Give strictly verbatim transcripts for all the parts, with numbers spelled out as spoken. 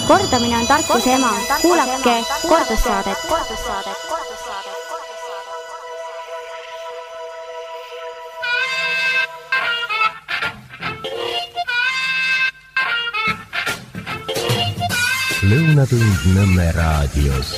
Kordamine on tarkuse ema. Kuulake kordussaadet. Lõunatund Nõmme raadios.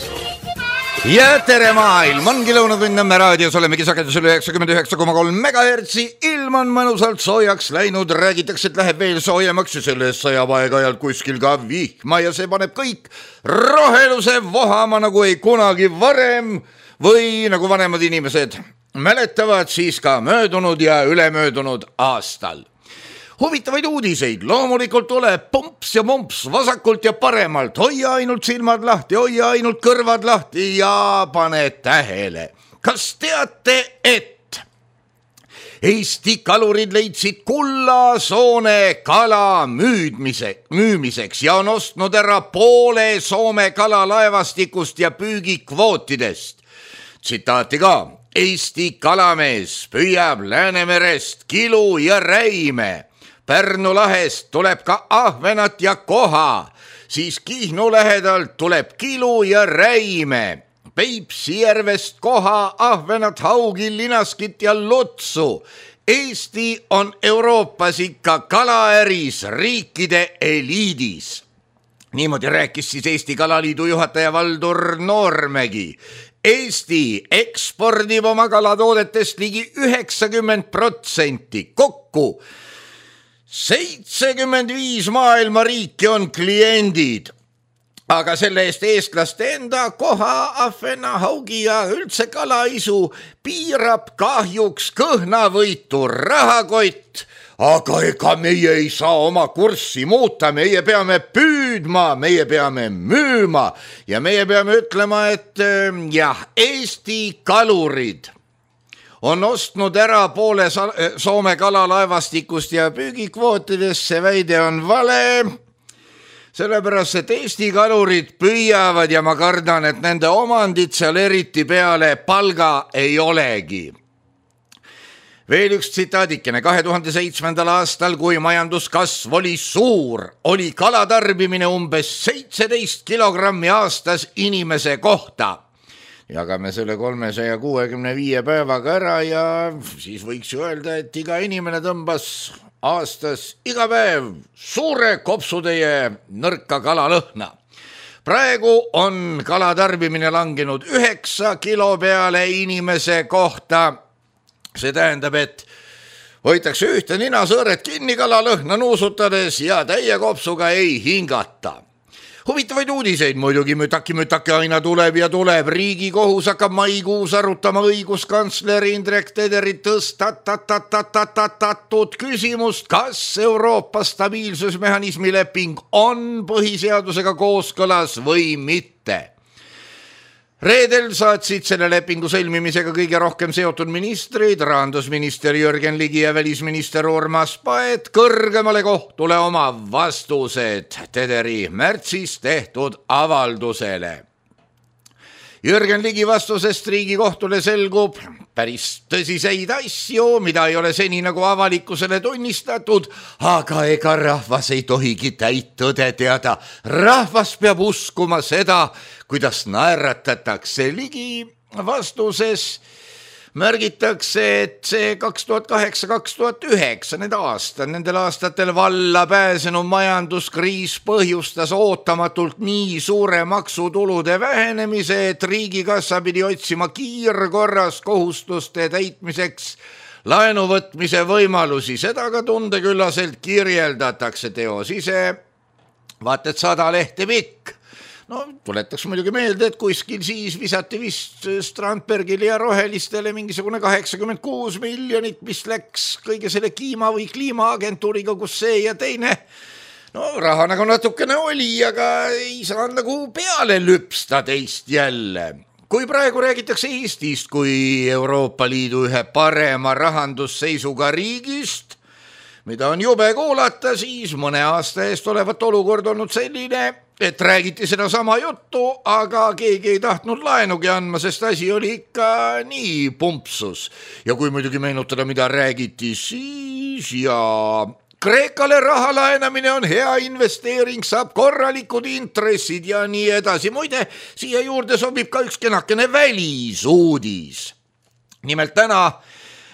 Ja tere maailm, ongi Lõunatund Nõmme raadios, olemegi sagedusel üheksakümmend üheksa koma kolm megahertsi. Ilm on mõnusalt soojaks läinud, räägitakse, et läheb veel soojemaks ja sellest sajab aeg-ajalt kuskil ka vihma ja see paneb kõik roheluse vohama nagu ei kunagi varem või nagu vanemad inimesed mäletavad siis ka möödunud ja ülemöödunud aastal. Huvitavaid uudiseid, loomulikult tuleb pumps ja mumps vasakult ja paremalt, hoia ainult silmad lahti, hoia ainult kõrvad lahti ja pane tähele. Kas teate, et Eesti kalurid leidsid kullasoone kala müüdmise, müümiseks ja on ostnud ära poole Soome kalalaevastikust ja püügikvootidest? Tsitaati ka, Eesti kalamees püüab Läänemerest kilu ja räime. Pärnu lahest tuleb ka ahvenat ja koha, siis Kihnu lähedalt tuleb kilu ja räime. Peipsi järvest koha, ahvenat, haugi, linaskit ja lutsu. Eesti on Euroopas ikka kalaäris riikide eliidis. Niimoodi rääkis siis Eesti Kalaliidu juhataja Valdur Noormägi. Eesti ekspordib oma kalatoodetest ligi üheksakümmend protsenti kokku. seitsekümmend viis maailma riiki on kliendid, aga selle eest eestlaste enda koha, ahvena, haugi ja üldse kalaisu piirab kahjuks kõhnavõitu rahakott, aga ega meie ei saa oma kurssi muuta, meie peame püüdma, meie peame müüma ja meie peame ütlema, et jah, Eesti kalurid on ostnud ära poole Soome kalalaevastikust ja püügikvootidest, see väide on vale, sellepärast, et Eesti kalurid püüavad ja ma kardan, et nende omandid seal eriti peale palga ei olegi. Veel üks tsitaadikene, kahe tuhande seitsmendal aastal, kui majanduskasv oli suur, oli kalatarbimine umbes seitseteist kilogrammi aastas inimese kohta. Jagame selle kolmesaja kuuekümne viie päevaga ära ja siis võiks ju öelda, et iga inimene tõmbas aastas iga päev suure kopsutäie nõrka kalalõhna. Praegu on kalatarbimine langenud üheksa kilo peale inimese kohta. See tähendab, et hoitakse ühte ninasõõret kinni kalalõhna nuusutades ja täie kopsuga ei hingata. Huvitavaid uudiseid muidugi mütaki-mütaki aina tuleb ja tuleb. Riigikohus hakkab maikuus arutama õiguskantsleri Indrek Tederi tõstatatatud küsimust, kas Euroopa stabiilsusmehhanismi leping on põhiseadusega kooskõlas või mitte. Reedel saatsid selle lepingu sõlmimisega kõige rohkem seotud ministrid, rahandusminister Jürgen Ligi ja välisminister Urmas Paet kõrgemale kohtule oma vastused Tederi märtsis tehtud avaldusele. Jürgen Ligi vastusest Riigikohtule selgub päris tõsiseid asju, mida ei ole seni nagu avalikkusele tunnistatud, aga ega rahvas ei tohigi täit tõde teada. Rahvas peab uskuma seda, kuidas naeratatakse. Ligi vastuses märgitakse, et see kaks tuhat kaheksa kaks tuhat üheksa need aastad, nendel aastatel valla pääsenud majanduskriis põhjustas ootamatult nii suure maksutulude vähenemise, et riigikassa pidi otsima kiirkorras kohustuste täitmiseks laenu võtmise võimalusi. Seda ka tundeküllaselt kirjeldatakse teos ise. Vaat et sada lehte pikk. No tuletaks muidugi meelde, et kuskil siis visati vist Strandbergile ja rohelistele mingisugune kaheksakümmend kuus miljonit, mis läks kõige selle Kiima või kliimaagentuuriga, kus see ja teine. No raha nagu natukene oli, aga ei saa nagu peale lüpsta teist jälle. Kui praegu räägitakse Eestist kui Euroopa Liidu ühe parema rahandusseisuga riigist, mida on jube kuulata, siis mõne aasta eest olevat olukord olnud selline, et räägiti seda sama juttu, aga keegi ei tahtnud laenugi andma, sest asi oli ikka nii pumpsus. Ja kui muidugi meenutada, mida räägiti siis ja Kreekale raha laenamine on hea investeering, saab korralikud intressid ja nii edasi. Muide, siia juurde sobib ka üks kenakene välisuudis. Nimelt täna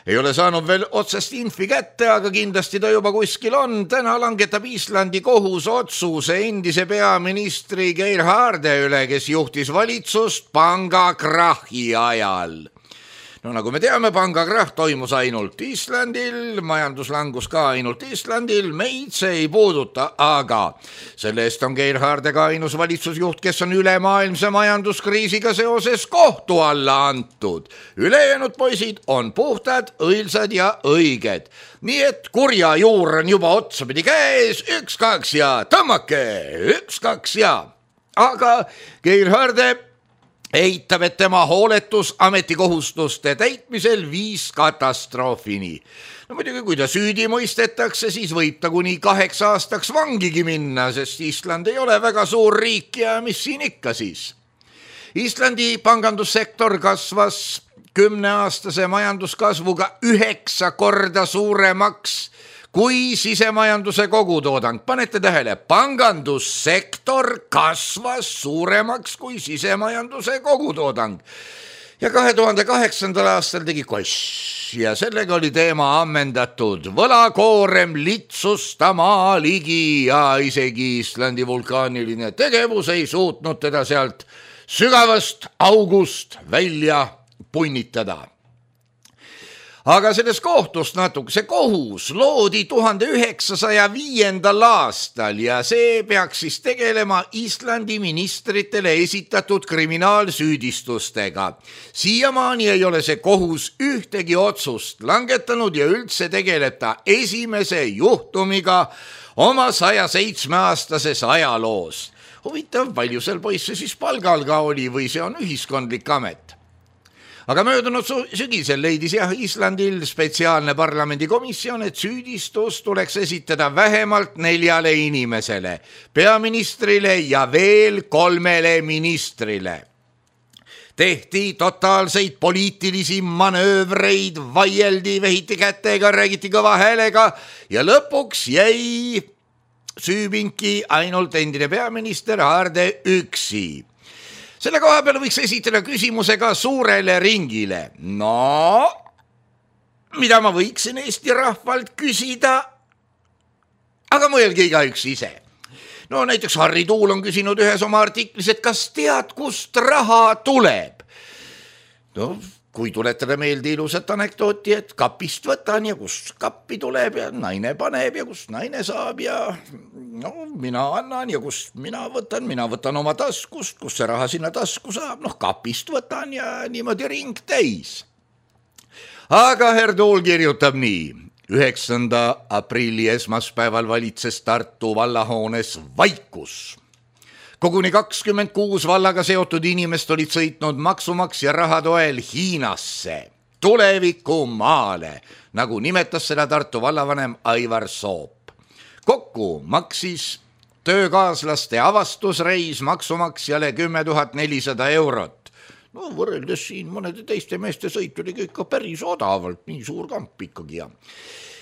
ei ole saanud veel otsest infi kätte, aga kindlasti ta juba kuskil on. Täna langetab Islandi kohus otsuse endise peaministri Gerharde üle, kes juhtis valitsust pangakrahi ajal. No nagu me teame, pangakrahh toimus ainult Islandil, majanduslangus ka ainult Islandil, meid see ei puuduta, aga selle eest on Gerharde ka ainus valitsusjuht, kes on ülemaailmse majanduskriisiga seoses kohtu alla antud. Ülejäänud poisid on puhtad, õilsad ja õiged. Nii et kurja juur on juba otsapidi käes, üks, kaks ja tõmmake, üks, kaks ja. Aga Gerharde eitab, et tema hooletus ametikohustuste täitmisel viis katastroofini. No muidugi, kui ta süüdi mõistetakse, siis võib ta kuni kaheks aastaks vangigi minna, sest Island ei ole väga suur riik ja mis siin ikka siis. Islandi pangandussektor kasvas kümneaastase majanduskasvuga üheksa korda suuremaks kui sisemajanduse kogutoodang. Panete tähele, pangandussektor kasvas suuremaks kui sisemajanduse kogutoodang. Ja kahe tuhande kaheksandal aastal tegi koss ja sellega oli teema ammendatud. Võlakoorem litsustama ligi ja isegi Islandi vulkaaniline tegevus ei suutnud teda sealt sügavast august välja punnitada. Aga sellest kohtust natuke, see kohus loodi tuhande üheksasaja viiendal aastal ja see peaks siis tegelema Islandi ministritele esitatud kriminaalsüüdistustega. Siiamaani ei ole see kohus ühtegi otsust langetanud ja üldse tegeleb ta esimese juhtumiga oma saja seitsme aastases ajaloos. Huvitav, palju seal poisse siis palgal ka oli või see on ühiskondlik amet? Aga möödunud sügisel leidis jah Islandil spetsiaalne parlamendikomisjon, et süüdistus tuleks esitada vähemalt neljale inimesele, peaministrile ja veel kolmele ministrile. Tehti totaalseid poliitilisi manöövreid, vaieldi, vehiti kätega, räägiti kõva häälega ja lõpuks jäi süüpinki ainult endine peaminister Harde üksi. Selle koha peale võiks esitada küsimuse ka suurele ringile. No, mida ma võiksin Eesti rahvalt küsida? Aga mõelge igaüks ise. No näiteks Harri Tuul on küsinud ühes oma artiklis, et kas tead, kust raha tuleb? No, kui tuletada meelde ilusat anekdooti, et kapist võtan ja kust kappi tuleb ja naine paneb ja kust naine saab ja no mina annan ja kust mina võtan, mina võtan oma taskust, kust see raha sinna tasku saab, noh kapist võtan ja niimoodi ring täis. Aga Herr Tuul kirjutab nii, üheksanda aprilli esmaspäeval valitses Tartu vallahoones vaikus. Koguni kakskümmend kuus vallaga seotud inimest olid sõitnud maksumaksja raha toel Hiinasse, tuleviku maale, nagu nimetas seda Tartu vallavanem Aivar Soop. Kokku maksis töökaaslaste avastusreis maksumaksjale kümme tuhat nelisada eurot. No võrreldes siin mõnede teiste meeste sõit oli ikka päris odavalt, nii suur kamp ikkagi ja.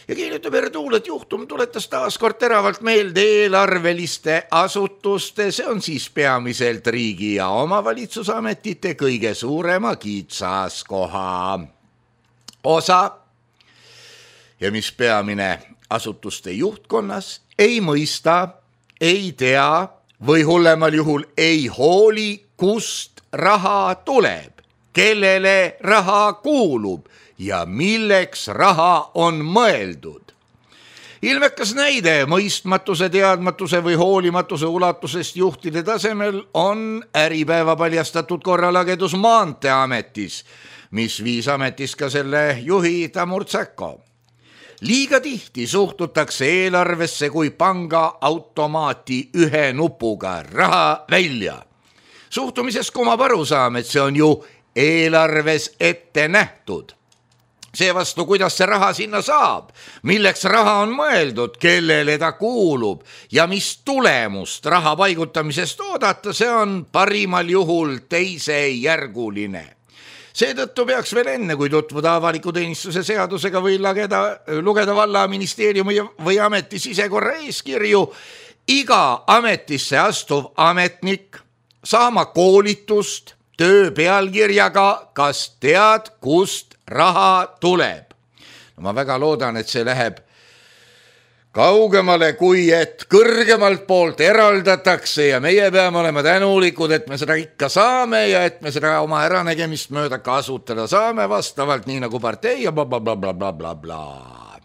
Ja kirjutab Herr Tuul, et juhtum tuletas taas kord teravalt meelde eelarveliste asutuste, see on siis peamiselt riigi ja omavalitsusametite kõige suurema kitsaskoha osa. Ja mis peamine asutuste juhtkonnas ei mõista, ei tea või hullemal juhul ei hooli, kust raha tuleb, kellele raha kuulub ja milleks raha on mõeldud. Ilmekas näide mõistmatuse, teadmatuse või hoolimatuse ulatusest juhtide tasemel on äripäeva paljastatud korralagedus Maanteeametis, mis viis ametis ka selle juhi Tamur Tsäko. Liiga tihti suhtutakse eelarvesse kui panga automaati ühe nupuga raha välja. Suhtumises kumab arusaam, et see on ju eelarves ette nähtud. Seevastu, kuidas see raha sinna saab, milleks raha on mõeldud, kellele ta kuulub ja mis tulemust raha paigutamisest oodata, see on parimal juhul teisejärguline. Seetõttu peaks veel enne, kui tutvuda avaliku teenistuse seadusega või lageda, lugeda valla ministeeriumi või ameti sisekorra eeskirju, iga ametisse astuv ametnik saama koolitust töö pealkirjaga "Kas tead, kust raha tuleb?". No ma väga loodan, et see läheb kaugemale, kui et kõrgemalt poolt eraldatakse ja meie peame olema tänulikud, et me seda ikka saame ja et me seda oma äranägemist mööda kasutada saame vastavalt nii nagu partei ja blablabla bla, bla, bla, bla.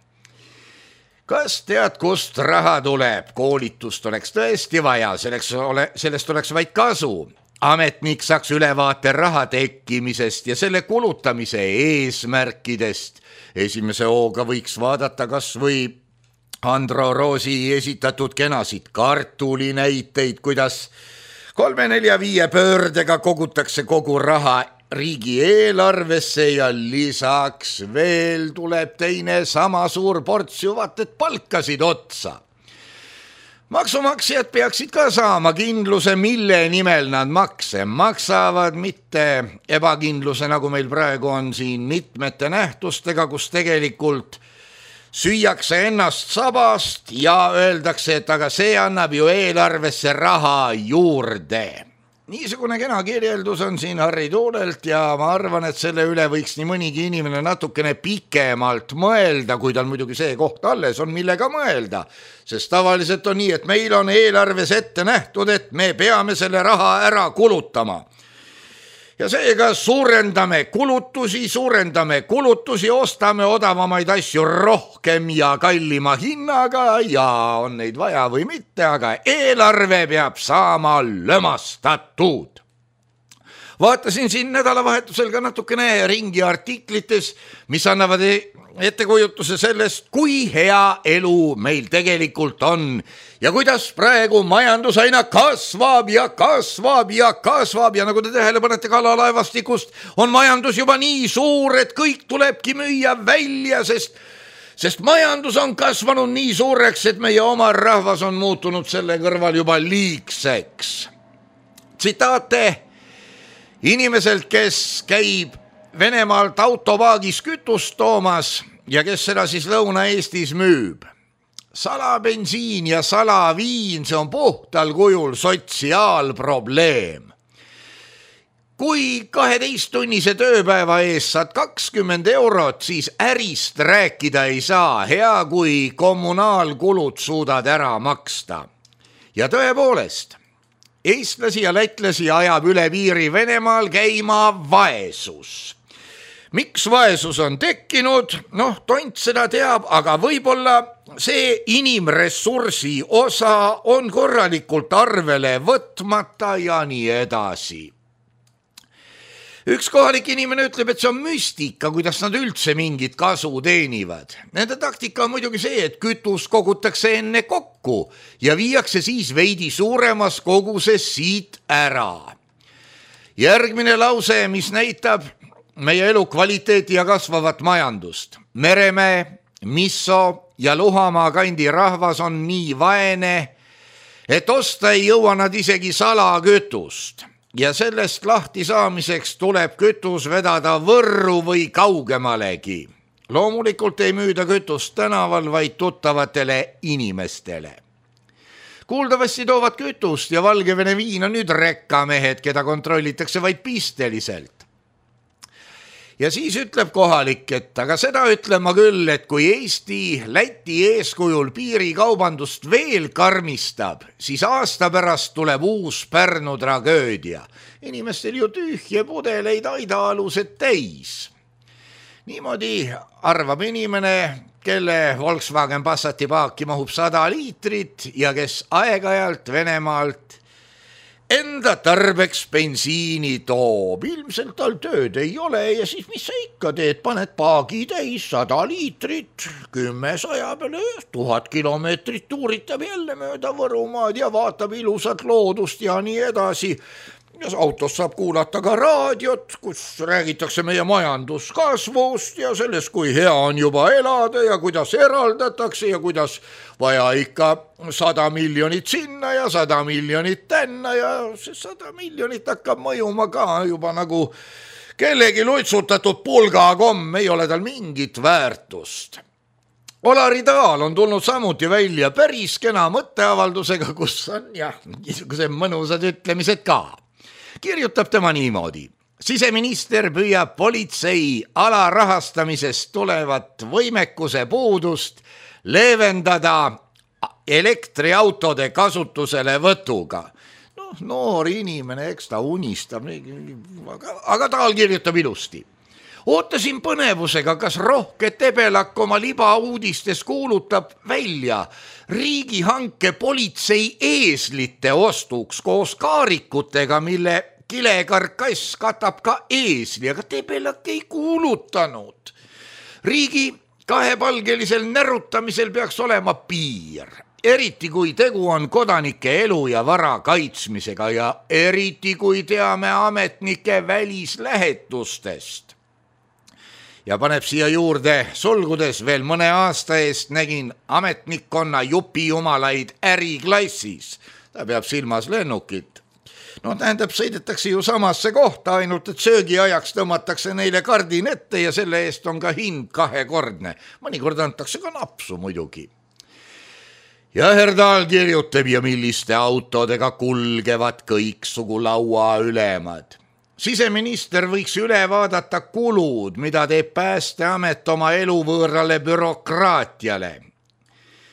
Kas tead, kust raha tuleb? Koolitust oleks tõesti vaja, selleks ole, sellest oleks vaid kasu. Ametnik saaks ülevaate raha tekkimisest ja selle kulutamise eesmärkidest. Esimese hooga võiks vaadata kas või Andro Roosi esitatud kenasid kartulinäiteid, kuidas kolme, nelja, viie pöördega kogutakse kogu raha riigieelarvesse ja lisaks veel tuleb teine sama suur ports ju vaat et palkasid otsa. Maksumaksjad peaksid ka saama kindluse, mille nimel nad makse maksavad, mitte ebakindluse, nagu meil praegu on siin mitmete nähtustega, kus tegelikult süüakse ennast sabast ja öeldakse, et aga see annab ju eelarvesse raha juurde. Niisugune kena kirjeldus on siin Harri Tuulelt ja ma arvan, et selle üle võiks nii mõnigi inimene natukene pikemalt mõelda, kui tal muidugi see koht alles on, millega mõelda. Sest tavaliselt on nii, et meil on eelarves ette nähtud, et me peame selle raha ära kulutama. Ja seega suurendame kulutusi, suurendame kulutusi, ostame odavamaid asju rohkem ja kallima hinnaga ja on neid vaja või mitte, aga eelarve peab saama lömastatud. Vaatasin siin nädalavahetusel ka natukene ringi artiklites, mis annavad ettekujutuse sellest, kui hea elu meil tegelikult on ja kuidas praegu majandus aina kasvab ja kasvab ja kasvab ja nagu te tähele panete kalalaevastikust, on majandus juba nii suur, et kõik tulebki müüa välja, sest, sest majandus on kasvanud nii suureks, et meie oma rahvas on muutunud selle kõrval juba liigseks. Tsitaate inimeselt, kes käib Venemaalt autopaagis kütust toomas ja kes seda siis Lõuna-Eestis müüb. Salabensiin ja salaviin, see on puhtal kujul sotsiaalprobleem. Kui kaheteisttunnise tööpäeva ees saad kakskümmend eurot, siis ärist rääkida ei saa, hea kui kommunaalkulud suudad ära maksta. Ja tõepoolest, eestlasi ja lätlasi ajab üle piiri Venemaal käima vaesus. Miks vaesus on tekkinud? Noh, tont seda teab, aga võib-olla see inimressursi osa on korralikult arvele võtmata ja nii edasi. Üks kohalik inimene ütleb, et see on müstika, kuidas nad üldse mingit kasu teenivad. Nende taktika on muidugi see, et kütus kogutakse enne kokku ja viiakse siis veidi suuremas koguses siit ära. Järgmine lause, mis näitab meie elu kvaliteeti ja kasvavat majandust. Meremäe, Misso ja Luhamaa kandi rahvas on nii vaene, et osta ei jõua nad isegi salakütust. Ja sellest lahti saamiseks tuleb kütus vedada Võrru või kaugemalegi. Loomulikult ei müüda kütust tänaval, vaid tuttavatele inimestele. Kuuldavasti toovad kütust ja Valgevene viina nüüd rekkamehed, keda kontrollitakse vaid pisteliselt. Ja siis ütleb kohalik, et aga seda ütlen ma küll, et kui Eesti Läti eeskujul piirikaubandust veel karmistab, siis aasta pärast tuleb uus Pärnu tragöödia. Inimestel ju tühje pudeleid aidaalused täis. Niimoodi arvab inimene, kelle Volkswagen Passati paaki mahub sada liitrit ja kes aeg-ajalt Venemaalt enda tarbeks bensiini toob. Ilmselt tal tööd ei ole ja siis mis sa ikka teed, paned paagi täis sada liitrit, kümme saja peale, tuhat kilomeetrit tuuritab jälle mööda Võrumaad ja vaatab ilusat loodust ja nii edasi. Ja autos saab kuulata ka raadiot, kus räägitakse meie majanduskasvust ja sellest, kui hea on juba elada ja kuidas eraldatakse ja kuidas vaja ikka sada miljonit sinna ja sada miljonit tänna ja see sada miljonit hakkab mõjuma ka juba nagu kellegi lutsutatud pulgakomm ei ole tal mingit väärtust. Olari Taal on tulnud samuti välja päris kena mõtteavaldusega, kus on jah, niisugused mõnusad ütlemised ka. Kirjutab tema niimoodi. Siseminister püüab politsei alarahastamisest tulevat võimekuse puudust leevendada elektriautode kasutusele võtuga. No, noor inimene, eks ta unistab, aga, aga Taal kirjutab ilusti. Ootasin põnevusega, kas rohke Tebelak oma libauudistes kuulutab välja riigihanke politsei eeslite ostuks koos kaarikutega, mille kilekarkass katab ka eesli, aga Tebelak ei kuulutanud. Riigi kahepalgelisel närutamisel peaks olema piir, eriti kui tegu on kodanike elu ja vara kaitsmisega ja eriti kui teame ametnike välislähetustest. Ja paneb siia juurde sulgudes veel mõne aasta eest nägin ametnikkonna jupijumalaid äriklassis. Ta peab silmas lennukit. No tähendab, sõidetakse ju samasse kohta, ainult et söögiajaks tõmmatakse neile kardin ette ja selle eest on ka hind kahekordne. Mõnikord antakse ka napsu muidugi. Ja Herdal kirjutab ja milliste autodega kulgevad kõiksugu laua ülemad. Siseminister võiks üle vaadata kulud, mida teeb Päästeamet oma eluvõõrale bürokraatiale.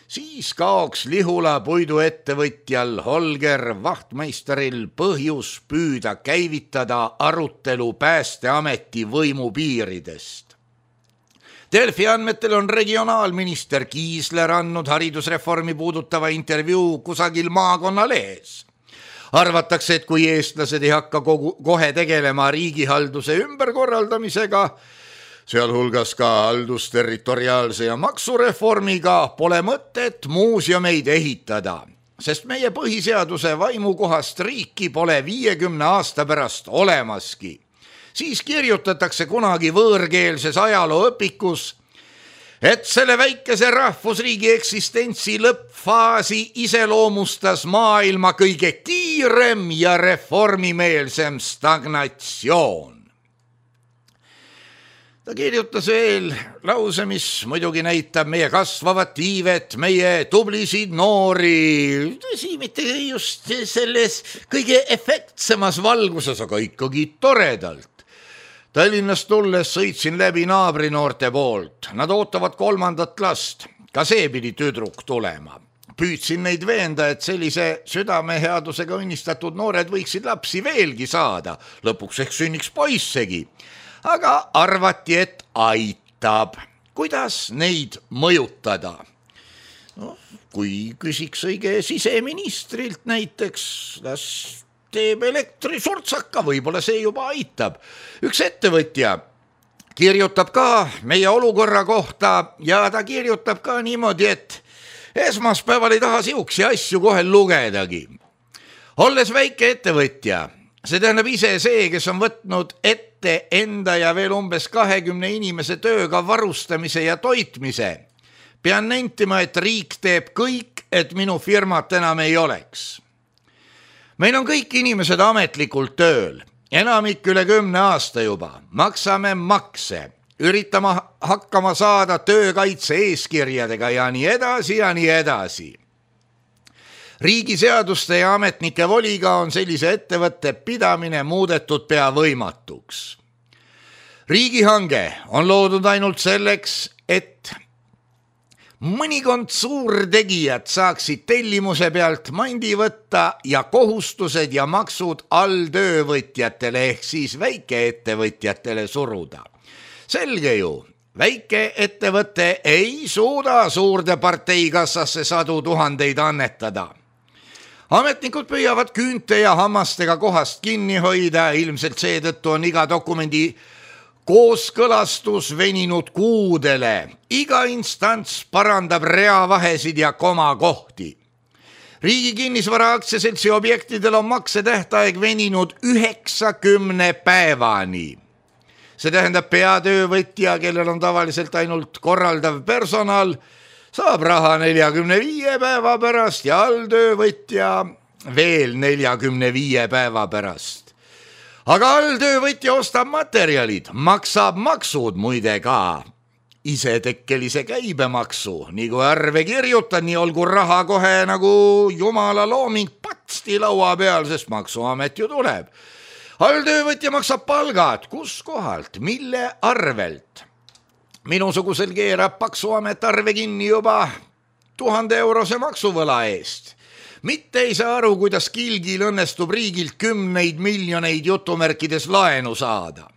Siis kaoks Lihula puiduettevõtjal Holger Vahtmeisteril põhjus püüda käivitada arutelu Päästeameti võimupiiridest. Delfi andmetel on regionaalminister Kiisler andnud haridusreformi puudutava intervjuu kusagil maakonnalehes. Arvatakse, et kui eestlased ei hakka kogu, kohe tegelema riigihalduse ümberkorraldamisega, sealhulgas ka haldusterritoriaalse ja maksureformiga, pole mõtet muuseumeid ehitada, sest meie põhiseaduse vaimukohast riiki pole viiekümne aasta pärast olemaski. Siis kirjutatakse kunagi võõrkeelses ajalooõpikus, et selle väikese rahvusriigi eksistentsi lõppfaasi iseloomustas maailma kõige kiirem ja reformimeelsem stagnatsioon. Ta kirjutas veel lause, mis muidugi näitab meie kasvavat iivet, meie tublisid noori, tõsi, mitte just selles kõige efektsemas valguses, aga ikkagi toredalt. Tallinnast tulles sõitsin läbi naabrinoorte poolt. Nad ootavad kolmandat last. Ka see pidi tüdruk tulema. Püüdsin neid veenda, et sellise südameheadusega õnnistatud noored võiksid lapsi veelgi saada. Lõpuks ehk sünniks poissegi. Aga arvati, et aitab. Kuidas neid mõjutada? No, kui küsiks õige siseministrilt näiteks, las teeb elektrisurtsaka, võib-olla see juba aitab. Üks ettevõtja kirjutab ka meie olukorra kohta ja ta kirjutab ka niimoodi, et esmaspäeval ei taha siuksi asju kohe lugedagi. Olles väike ettevõtja, see tähendab ise see, kes on võtnud ette enda ja veel umbes kahekümne inimese tööga varustamise ja toitmise, pean nentima, et riik teeb kõik, et minu firmat enam ei oleks. Meil on kõik inimesed ametlikult tööl, enamik üle kümne aasta juba, maksame makse, üritame hakkama saada töökaitse eeskirjadega ja nii edasi ja nii edasi. Riigiseaduste ja ametnike voliga on sellise ettevõtte pidamine muudetud pea võimatuks. Riigihange on loodud ainult selleks, et mõnikond suurtegijad saaksid tellimuse pealt mandi võtta ja kohustused ja maksud alltöövõtjatele ehk siis väikeettevõtjatele suruda. Selge ju, väikeettevõte ei suuda suurde parteikassasse sadu tuhandeid annetada. Ametnikud püüavad küünte ja hammastega kohast kinni hoida, ilmselt seetõttu on iga dokumendi kooskõlastus veninud kuudele. Iga instants parandab reavahesid ja komakohti. Riigi kinnisvara aktsiaseltsi objektidel on maksetähtaeg veninud üheksakümne päevani. See tähendab peatöövõtja, kellel on tavaliselt ainult korraldav personal, saab raha neljakümne viie päeva pärast ja alltöövõtja veel neljakümne viie päeva pärast. aga alltöövõtja ostab materjalid, maksab maksud muide ka isetekkelise käibemaksu, nagu arve kirjutan, nii olgu raha kohe nagu jumala looming patsti laua peal, sest maksuamet ju tuleb. Alltöövõtja maksab palgad, kus kohalt, mille arvelt? Minusugusel keerab maksuamet arve kinni juba tuhande eurose maksuvõla eest. Mitte ei saa aru, kuidas kilgil õnnestub riigilt kümneid miljoneid jutumärkides laenu saada.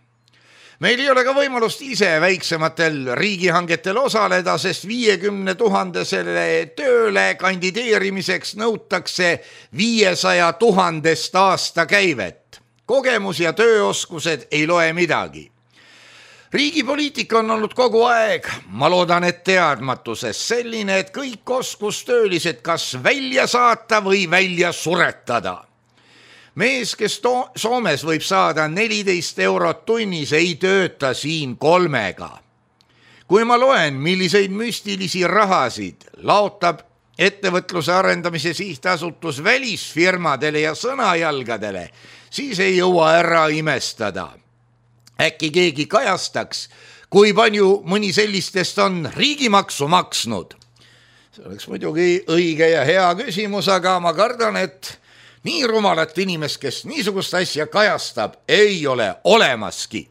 Meil ei ole ka võimalust ise väiksematel riigihangetel osaleda, sest viiekümne tuhandesele tööle kandideerimiseks nõutakse viiesaja tuhandest aasta käivet. Kogemus ja tööoskused ei loe midagi. Riigipoliitika on olnud kogu aeg, ma loodan, et teadmatuses selline, et kõik oskustöölised kas välja saata või välja suretada. Mees, kes to- Soomes võib saada neliteist eurot tunnis, ei tööta siin kolmega. Kui ma loen, milliseid müstilisi rahasid laotab ettevõtluse arendamise sihtasutus välisfirmadele ja sõnajalgadele, siis ei jõua ära imestada. Äkki keegi kajastaks, kui palju mõni sellistest on riigimaksu maksnud. See oleks muidugi õige ja hea küsimus, aga ma kardan, et nii rumalat inimest, kes niisugust asja kajastab, ei ole olemaski.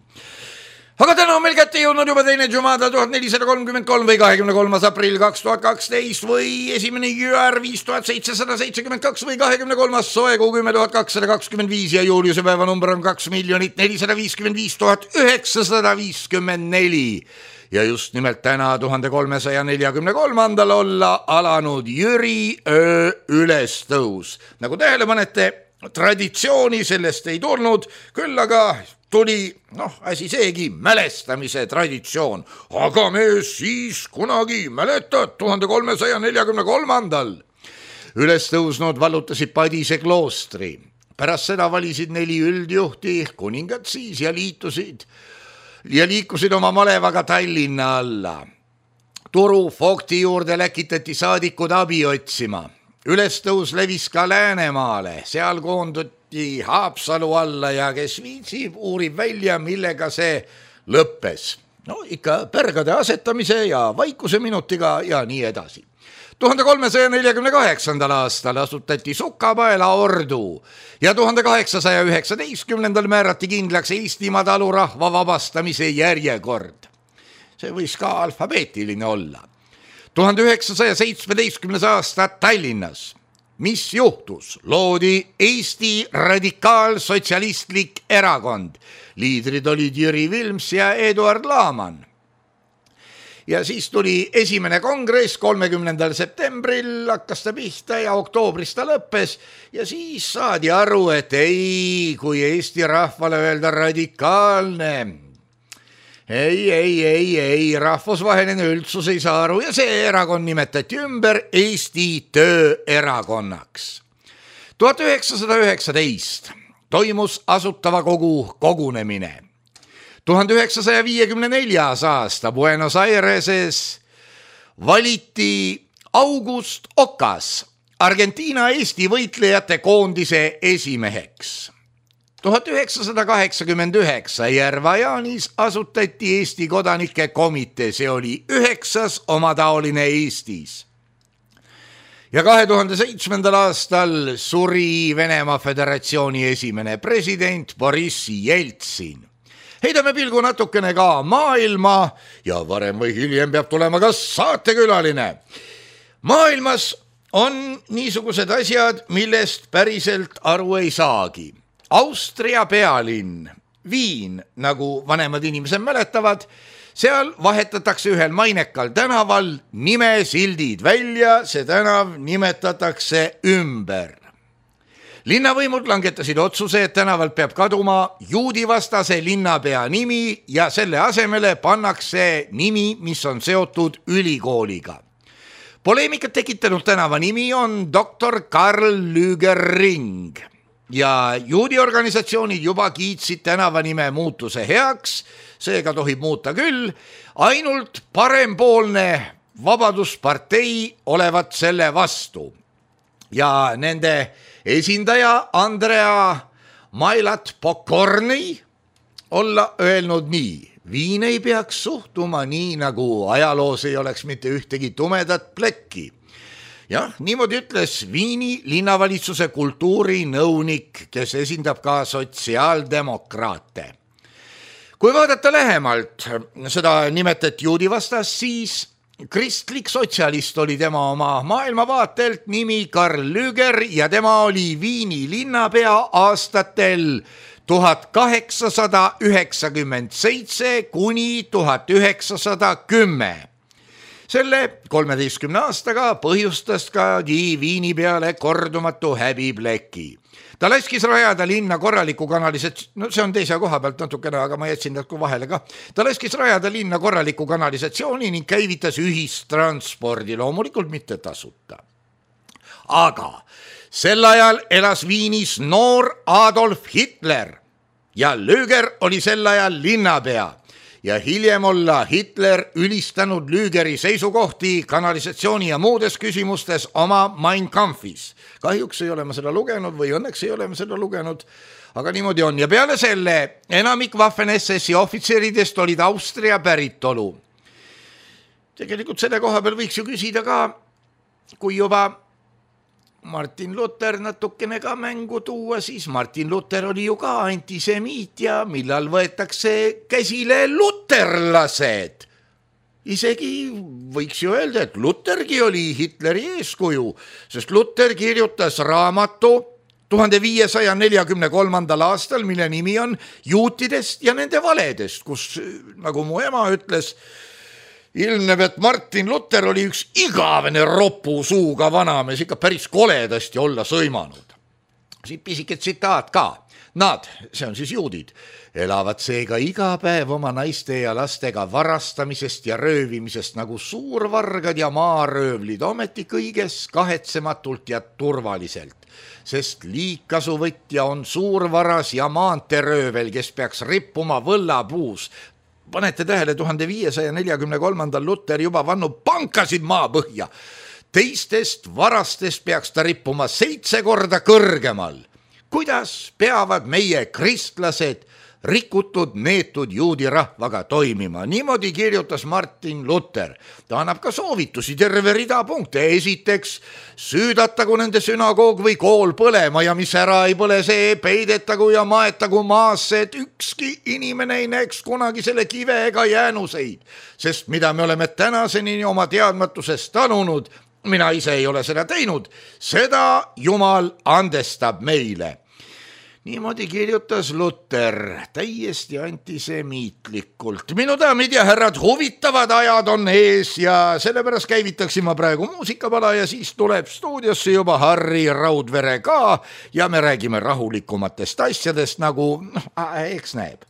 Aga täna on meil kätte jõudnud juba teine Jumada tuhat nelisada kolmkümmend kolm või kahekümne kolmas aprill kaks tuhat kaksteist või esimene Jüär viis tuhat seitsesada seitsekümmend kaks või kahekümne kolmas soe kuu kümme tuhat kakssada kakskümmend viis ja Juliuse päeva number on kaks miljonit nelisada viiskümmend viis tuhat üheksasada viiskümmend neli. Ja just nimelt täna tuhande kolmesaja neljakümne kolmandal olla alanud Jüri öö ülestõus. Nagu tähele panete, traditsiooni sellest ei tulnud, küll aga tuli, noh, asi seegi, mälestamise traditsioon. Aga me siis kunagi mäletad tuhande kolmesaja neljakümne kolmandal. Üles tõusnud vallutasid Padise kloostri. Pärast seda valisid neli üldjuhti, kuningad siis ja liitusid ja liikusid oma malevaga Tallinna alla. Turu Fogti juurde läkitati saadikud abi otsima. Ülestõus levis ka Läänemaale, seal koonduti Haapsalu alla ja kes viitsib, uurib välja, millega see lõppes. No ikka pärgade asetamise ja vaikuse minutiga ja nii edasi. tuhande kolmesaja neljakümne kaheksandal aastal asutati Sukapaela ordu ja tuhande kaheksasaja üheksateistkümnendal määrati kindlaks Eestimaa talurahva vabastamise järjekord. See võis ka alfabeetiline olla. tuhande üheksasaja seitsmeteistkümnes aasta Tallinnas. Mis juhtus? Loodi Eesti radikaalsotsialistlik erakond. Liidrid olid Jüri Vilms ja Eduard Laaman. Ja siis tuli esimene kongress kolmekümnendal septembril, hakkas ta pihta ja oktoobris ta lõppes ja siis saadi aru, et ei, kui Eesti rahvale öelda radikaalne, ei, ei, ei, ei, rahvusvaheline üldsus ei saa aru ja see erakond nimetati ümber Eesti Tööerakonnaks. tuhat üheksasada üheksateist toimus Asutava Kogu kogunemine. tuhande üheksasaja viiekümne neljas aasta Buenos Aireses valiti August Ocas Argentiina Eesti võitlejate koondise esimeheks. tuhat üheksasada kaheksakümmend üheksa Järva-Jaanis asutati Eesti kodanike komitee, see oli üheksas omataoline Eestis. Ja kahe tuhande seitsmendal aastal suri Venemaa Föderatsiooni esimene president Boris Jeltsin. Heidame pilgu natukene ka maailma ja varem või hiljem peab tulema ka saatekülaline. Maailmas on niisugused asjad, millest päriselt aru ei saagi. Austria pealinn, Viin, nagu vanemad inimesed mäletavad, seal vahetatakse ühel mainekal tänaval nimesildid välja, see tänav nimetatakse ümber. Linnavõimud langetasid otsuse, et tänavalt peab kaduma juudivastase linnapea nimi ja selle asemele pannakse nimi, mis on seotud ülikooliga. Poleemikat tekitanud tänava nimi on doktor Karl Lüger-Ring ja juudiorganisatsioonid juba kiitsid tänavanime muutuse heaks, seega tohib muuta küll, ainult parempoolne Vabaduspartei olevat selle vastu. Ja nende esindaja Andrea Mailat Pokorny olla öelnud nii. Viin ei peaks suhtuma nii, nagu ajaloos ei oleks mitte ühtegi tumedat plekki. Jah, niimoodi ütles Viini linnavalitsuse kultuurinõunik, kes esindab ka sotsiaaldemokraate. Kui vaadata lähemalt seda nimetet juudi vastast, siis kristlik sotsialist oli tema oma maailmavaatelt nimi Karl Lüger ja tema oli Viini linnapea aastatel tuhat kaheksasada üheksakümmend seitse kuni tuhat üheksasada kümme. Selle kolmeteistkümne aastaga põhjustas ka Viini peale kordumatu häbipleki. Ta laskis rajada linna korraliku kanalisatsiooni, no see on teise koha pealt natukene, aga ma jätsin tatku vahele ka. Ta laskis rajada linna korraliku kanalisatsiooni ning käivitas ühistranspordi, loomulikult mitte tasuta. Aga sel ajal elas Viinis noor Adolf Hitler ja Lüger oli sel ajal linnapea ja hiljem olla Hitler ülistanud Lügeri seisukohti kanalisatsiooni ja muudes küsimustes oma Mein Kampfis. Kahjuks ei ole ma seda lugenud või õnneks ei ole ma seda lugenud, aga niimoodi on. Ja peale selle enamik Waffen-S S-i ohvitseridest olid Austria päritolu. Tegelikult selle koha peal võiks ju küsida ka, kui juba Martin Luther natukene ka mängu tuua, siis Martin Luther oli ju ka antisemiit ja millal võetakse käsile luterlased. Isegi võiks ju öelda, et Luthergi oli Hitleri eeskuju, sest Luther kirjutas raamatu tuhande viiesaja neljakümne kolmandal aastal, mille nimi on Juutidest ja nende valedest, kus, nagu mu ema ütles, ilmneb, et Martin Luther oli üks igavene ropu suuga vanamees, ikka päris koledasti olla sõimanud. Siit pisike tsitaat ka. Nad, see on siis juudid, elavad seega iga päev oma naiste ja lastega varastamisest ja röövimisest nagu suurvargad ja maaröövlid, ometi kõiges kahetsematult ja turvaliselt, sest liigkasuvõtja on suurvaras ja maanteröövel, kes peaks rippuma võllapuus. Panete tähele, tuhande viiesaja neljakümne kolmandal Luther juba vannu pankasid maapõhja. Teistest varastest peaks ta rippuma seitse korda kõrgemal. Kuidas peavad meie kristlased rikutud neetud juudi rahvaga toimima? Niimoodi kirjutas Martin Luther. Ta annab ka soovitusi terve rida punkte. Esiteks, süüdatagu nende sünagoog või kool põlema ja mis ära ei põle, see peidetagu ja maetagu maasse, et ükski inimene ei näeks kunagi selle kive ega jäänuseid. Sest mida me oleme tänaseni oma teadmatusest tanunud, mina ise ei ole seda teinud, seda Jumal andestab meile. Niimoodi kirjutas Luther täiesti antisemiitlikult. Minu daamid ja härrad, huvitavad ajad on ees ja sellepärast käivitaksin ma praegu muusikapala ja siis tuleb stuudiosse juba Harri Raudvere ka ja me räägime rahulikumatest asjadest, nagu noh, eks näeb.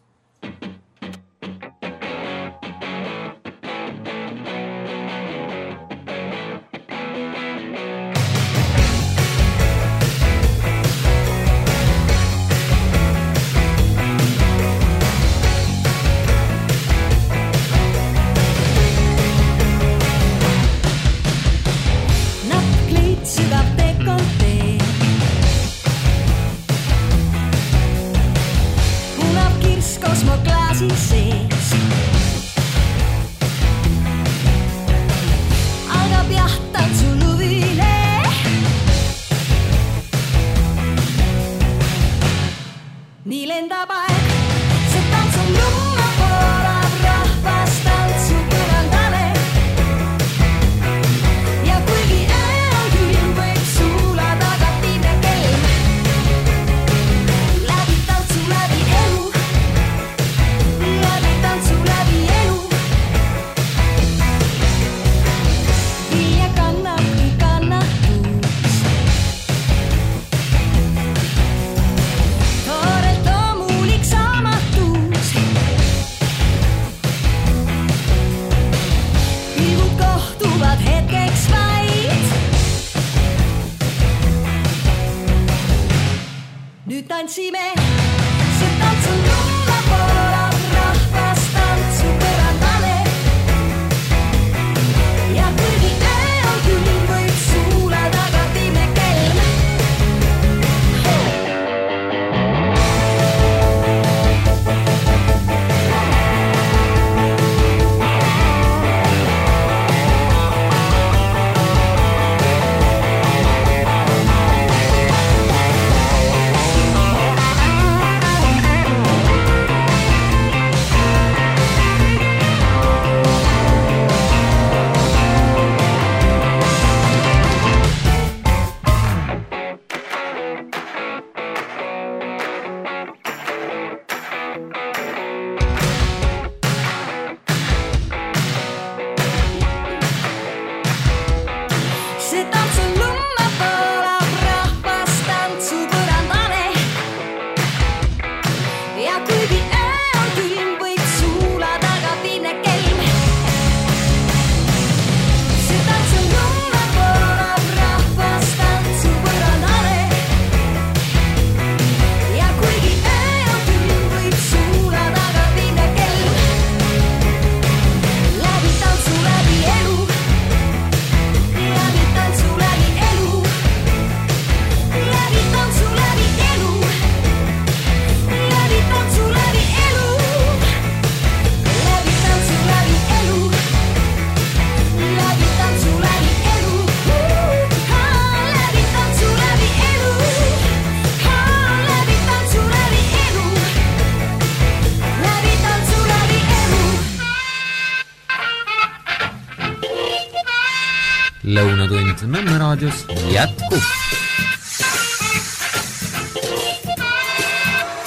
Nõmme raadios jätkub.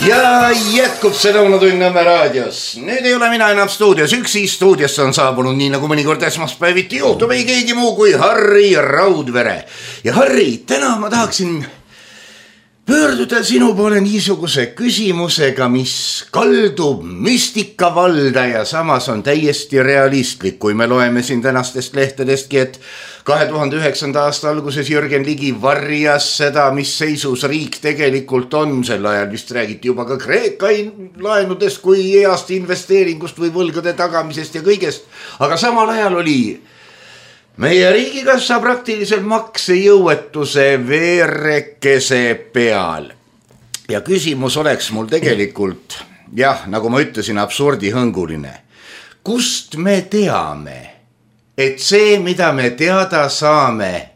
Ja jätkub see lõunatund Nõmme raadios. Nüüd ei ole mina enam stuudios. Üksi stuudiosse on saabunud nii nagu mõnikord esmaspäeviti juhtub ei keegi muu kui Harri Raudvere. Ja Harri, täna ma tahaksin pöörduda sinu poole niisuguse küsimusega, mis kaldub müstika valda ja samas on täiesti realistlik. Kui me loeme siin tänastest lehtedestki, et kahe tuhande üheksanda aasta alguses Jürgen Ligi varjas seda, mis seisus riik tegelikult on. Sel ajal vist räägiti juba ka Kreeka laenudest kui heast investeeringust või võlgade tagamisest ja kõigest. Aga samal ajal oli meie riigikassa praktiliselt maksejõuetuse veerekese peal. Ja küsimus oleks mul tegelikult, jah, nagu ma ütlesin, absurdihõnguline. Kust me teame, et see, mida me teada saame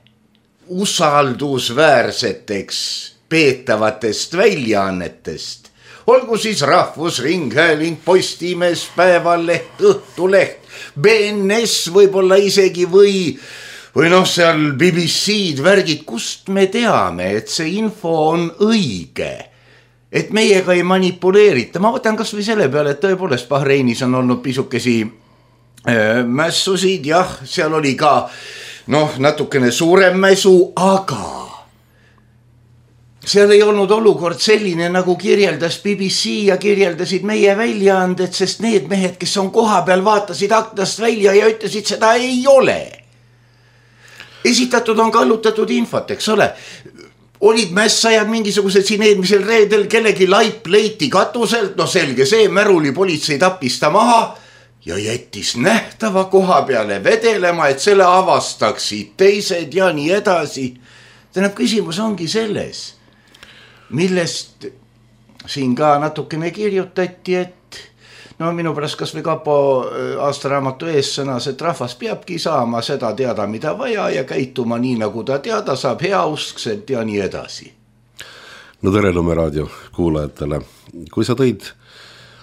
usaldusväärseteks peetavatest väljaannetest, olgu siis Rahvusringhääling, Postimees, Päevaleht, Õhtuleht, B N S võib-olla isegi või, või noh, seal B B C-d värgid, kust me teame, et see info on õige, et meiega ei manipuleerita. Ma võtan kas või selle peale, et tõepoolest Bahreinis on olnud pisukesi mässusid, jah, seal oli ka noh, natukene suurem mäsu, aga seal ei olnud olukord selline, nagu kirjeldas B B C ja kirjeldasid meie väljaanded, sest need mehed, kes on koha peal, vaatasid aknast välja ja ütlesid, seda ei ole. Esitatud on kallutatud infot, eks ole. Olid mässajad mingisugused siin eelmisel reedel, kellegi laip leiti katuselt, no selge see, märuli politsei tappis ta maha ja jättis nähtava koha peale vedelema, et selle avastaksid teised ja nii edasi. Tähendab, küsimus ongi selles, millest siin ka natukene kirjutati, et no minu pärast kas või Kapo aastaraamatu ees sõnas, et rahvas peabki saama seda teada, mida vaja ja käituma nii, nagu ta teada saab, heauskselt ja nii edasi. No tere Nõmme raadio kuulajatele. Kui sa tõid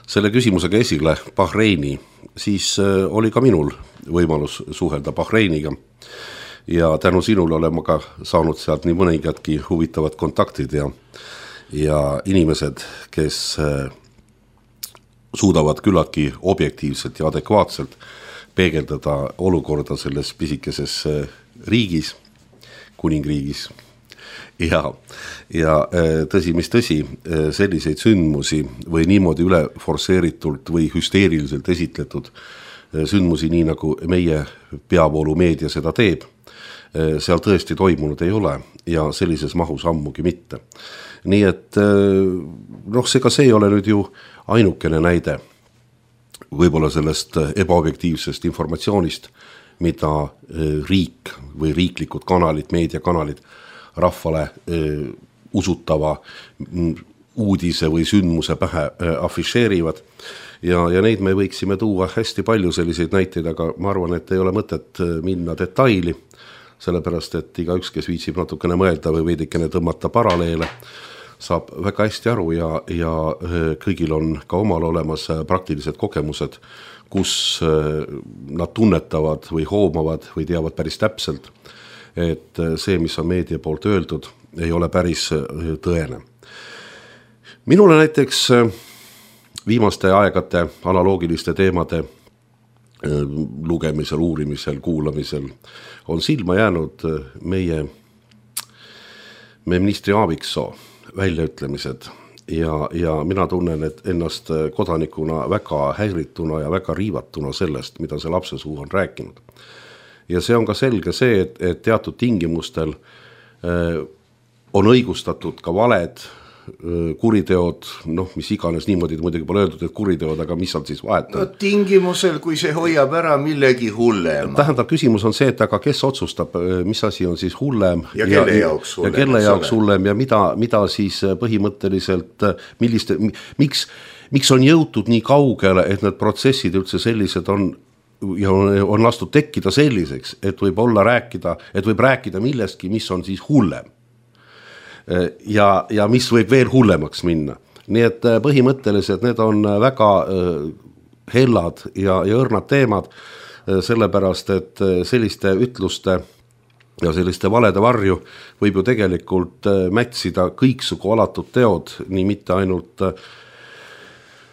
selle küsimusega esile Bahreini, siis oli ka minul võimalus suhelda Bahreiniga ja tänu sinule olen ma ka saanud sealt nii mõningadki huvitavad kontaktid ja, ja inimesed, kes suudavad küllaltki objektiivselt ja adekvaatselt peegeldada olukorda selles pisikeses riigis, kuningriigis. Ja, ja tõsi, mis tõsi, selliseid sündmusi või niimoodi üle forsseeritult või hüsteeriliselt esitletud sündmusi, nii nagu meie peavoolumeedia seda teeb, seal tõesti toimunud ei ole ja sellises mahus ammugi mitte. Nii et noh, seega see ei ole nüüd ju ainukene näide võib-olla sellest ebaobjektiivsest informatsioonist, mida riik või riiklikud kanalid, meediakanalid rahvale äh, usutava uudise või sündmuse pähe äh, afišeerivad ja, ja neid me võiksime tuua hästi palju selliseid näiteid, aga ma arvan, et ei ole mõtet minna detaili, sellepärast, et iga üks, kes viitsib natukene mõelda või veidikene tõmmata paraleele, saab väga hästi aru ja, ja äh, kõigil on ka omal olemas praktilised kogemused, kus äh, nad tunnetavad või hoomavad või teavad päris täpselt, et see, mis on meedia poolt öeldud, ei ole päris tõene. Minule näiteks viimaste aegade analoogiliste teemade lugemisel, uurimisel, kuulamisel on silma jäänud meie, meie ministri Aaviksoo väljaütlemised ja, ja mina tunnen, et ennast kodanikuna väga häirituna ja väga riivatuna sellest, mida see lapse suu on rääkinud. Ja see on ka selge see, et, et teatud tingimustel äh, on õigustatud ka valed, äh, kuriteod, noh, mis iganes niimoodi muidugi pole öeldud, et kuriteod, aga mis on siis vahet? No tingimusel, kui see hoiab ära millegi hullema. Tähendab, küsimus on see, et aga kes otsustab, mis asi on siis hullem ja kelle ja, jaoks hullem, ja, kelle jaoks hullem ja mida, mida siis põhimõtteliselt, milliste, miks, miks on jõutud nii kaugele, et need protsessid üldse sellised on ja on lastud tekkida selliseks, et võib olla rääkida, et võib rääkida millestki, mis on siis hullem ja, ja mis võib veel hullemaks minna. Nii et põhimõtteliselt need on väga hellad ja, ja õrnad teemad, sellepärast et selliste ütluste ja selliste valede varju võib ju tegelikult mätsida kõiksugu alatud teod, nii mitte ainult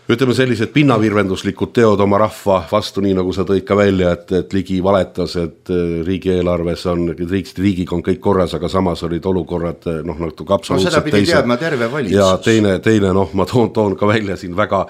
ütleme sellised pinnavirvenduslikud teod oma rahva vastu, nii nagu sa tõid ka välja, et, et Ligi valetas, et riigieelarves on, riik, riigiga on kõik korras, aga samas olid olukorrad, noh, nagu absoluutselt no, seda pidi teadma terve valitsus. Ja teine, teine noh, ma toon, toon ka välja siin väga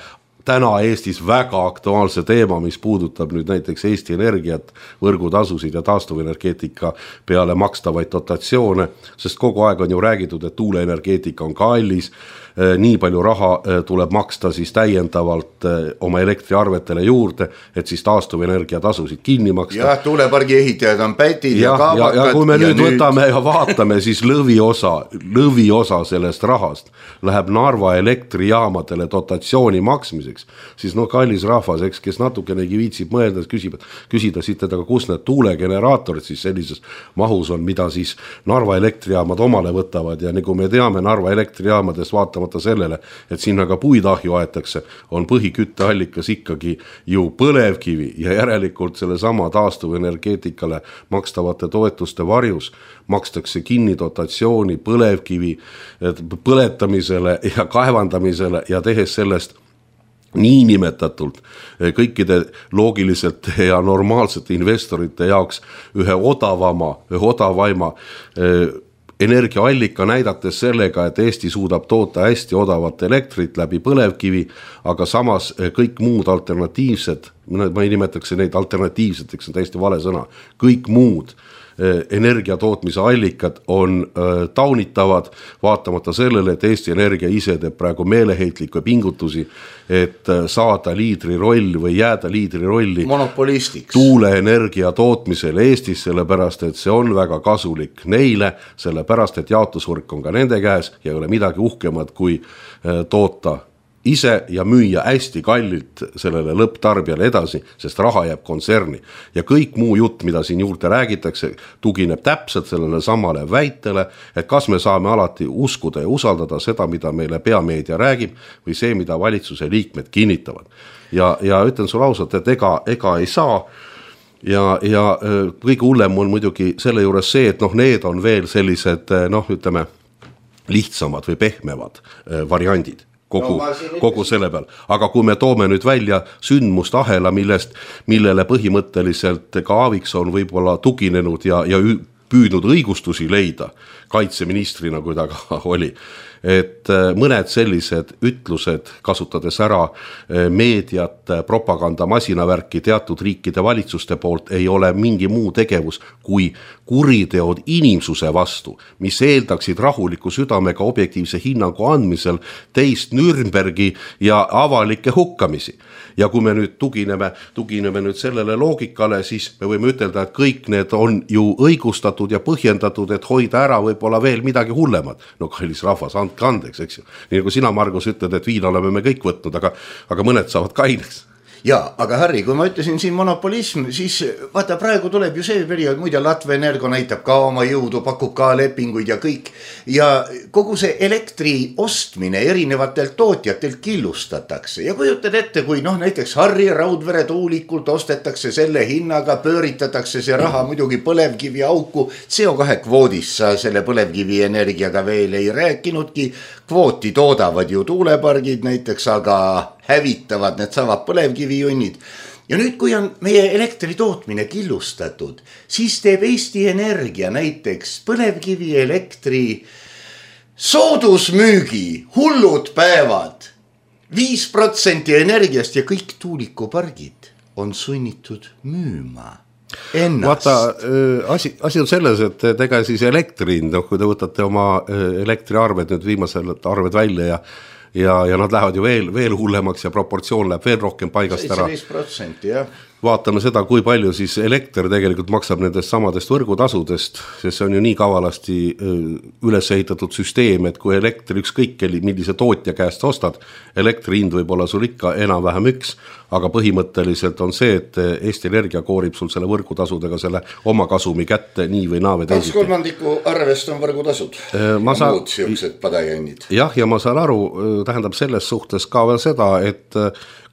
täna Eestis väga aktuaalse teema, mis puudutab nüüd näiteks Eesti Energiat, võrgutasusid ja taastuvenergeetika peale makstavaid dotatsioone, sest kogu aeg on ju räägitud, et tuuleenergeetika on kallis, nii palju raha tuleb maksta siis täiendavalt oma elektriarvetele juurde, et siis taastuvenergia tasusid kinni maksta. Ja tuulepargi ehitajad on pätid ja, ja kaabakad. Ja, ja kui me ja nüüd, nüüd võtame ja vaatame, siis lõviosa, lõviosa sellest rahast läheb Narva elektrijaamadele dotatsiooni maksmiseks, siis no kallis rahvas, eks, kes natukenegi viitsib mõelda, küsib, küsida siit, aga kus need tuulegeneraatorid siis sellises mahus on, mida siis Narva elektrijaamad omale võtavad ja nagu me teame Narva elektrijaamades vaatama sellele, et sinna ka puidahju aetakse, on põhikütteallikas ikkagi ju põlevkivi ja järelikult selle sama taastuvenergeetikale makstavate toetuste varjus makstakse kinni dotatsiooni põlevkivi põletamisele ja kaevandamisele ja tehes sellest niinimetatult kõikide loogiliselt ja normaalsete investorite jaoks ühe odavama, ühe odavaima energiaallika näidates sellega, et Eesti suudab toota hästi odavat elektrit läbi põlevkivi, aga samas kõik muud alternatiivsed, ma ei nimetaks neid alternatiivseteks, on täiesti vale sõna, kõik muud energiatootmise allikad on taunitavad, vaatamata sellele, et Eesti Energia ise teeb praegu meeleheitlikke pingutusi, et saada liidri roll või jääda liidri rolli monopolistiks tuuleenergia tootmisel Eestis, sellepärast, et see on väga kasulik neile, sellepärast, et jaotusvõrk on ka nende käes ja ei ole midagi uhkemad kui toota ise ja müüa hästi kallilt sellele lõpptarbijale edasi, sest raha jääb kontserni. Ja kõik muu jutt, mida siin juurde räägitakse, tugineb täpselt sellele samale väitele, et kas me saame alati uskuda ja usaldada seda, mida meile peameedia räägib, või see, mida valitsuse liikmed kinnitavad. Ja, ja ütlen sulle ausalt, et ega, ega ei saa. Ja, ja kõige hullem on muidugi selle juures see, et noh, need on veel sellised, noh, ütleme, lihtsamad või pehmevad variandid. Kogu, no, kogu selle peal. Aga kui me toome nüüd välja sündmust ahela, millest, millele põhimõtteliselt ka Aaviksson võib-olla tuginenud ja, ja püüdnud õigustusi leida kaitseministrina, kui ta ka oli, et mõned sellised ütlused, kasutades ära meediat, propaganda, masinavärki teatud riikide valitsuste poolt, ei ole mingi muu tegevus kui kuriteod inimsuse vastu, mis eeldaksid rahuliku südamega objektiivse hinnangu andmisel teist Nürnbergi ja avalikke hukkamisi. Ja kui me nüüd tugineme, tugineme nüüd sellele loogikale, siis me võime ütelda, et kõik need on ju õigustatud ja põhjendatud, et hoida ära võib-olla veel midagi hullemad. No kallis rahvas, andke andeks, eks ju. Nii nagu sina, Margus, ütled, et viina oleme me kõik võtnud, aga, aga mõned saavad kaineks. Ja, aga Harri, kui ma ütlesin siin monopolism, siis vaata praegu tuleb ju see periood, muide Latve Energo näitab ka oma jõudu, pakub ka lepinguid ja kõik. Ja kogu see elektri ostmine erinevatelt tootjatelt killustatakse. Ja kujutad ette, kui noh, näiteks Harri Raudvere tuulikult ostetakse selle hinnaga, pööritatakse see raha muidugi põlevkivi auku. C O kahe kvoodis sa selle põlevkivi energiaga veel ei rääkinudki. Kvooti toodavad ju tuulepargid näiteks, aga hävitavad need samad põlevkivijunnid. Ja nüüd, kui on meie elektri tootmine killustatud, siis teeb Eesti Energia näiteks põlevkivi elektri soodusmüügi, hullud päevad, viis protsenti energiast ja kõik tuulikupargid on sunnitud müüma ennast. Vaata, asi, asi on selles, et ega siis elektrin, no, kui te võtate oma elektriarved, nüüd viimasel arved välja ja Ja, ja nad lähevad ju veel, veel hullemaks ja proportsioon läheb veel rohkem paigast ära. seitseteist protsenti, jah. Vaatame seda, kui palju siis elekter tegelikult maksab nendest samadest võrgutasudest, sest see on ju nii kavalasti üles ehitatud süsteem, et kui elektri ükskõik, millise tootja käest ostad, elektri hind võib olla sul ikka enam-vähem üks, aga põhimõtteliselt on see, et Eesti Energia koorib sul selle võrgutasudega selle oma kasumi kätte nii või naa või teisiti. kaks kolmandiku arvest on võrgutasud ma ja saan, muud siuksed padajannid. Jah, ja ma saan aru, tähendab selles suhtes ka veel seda, et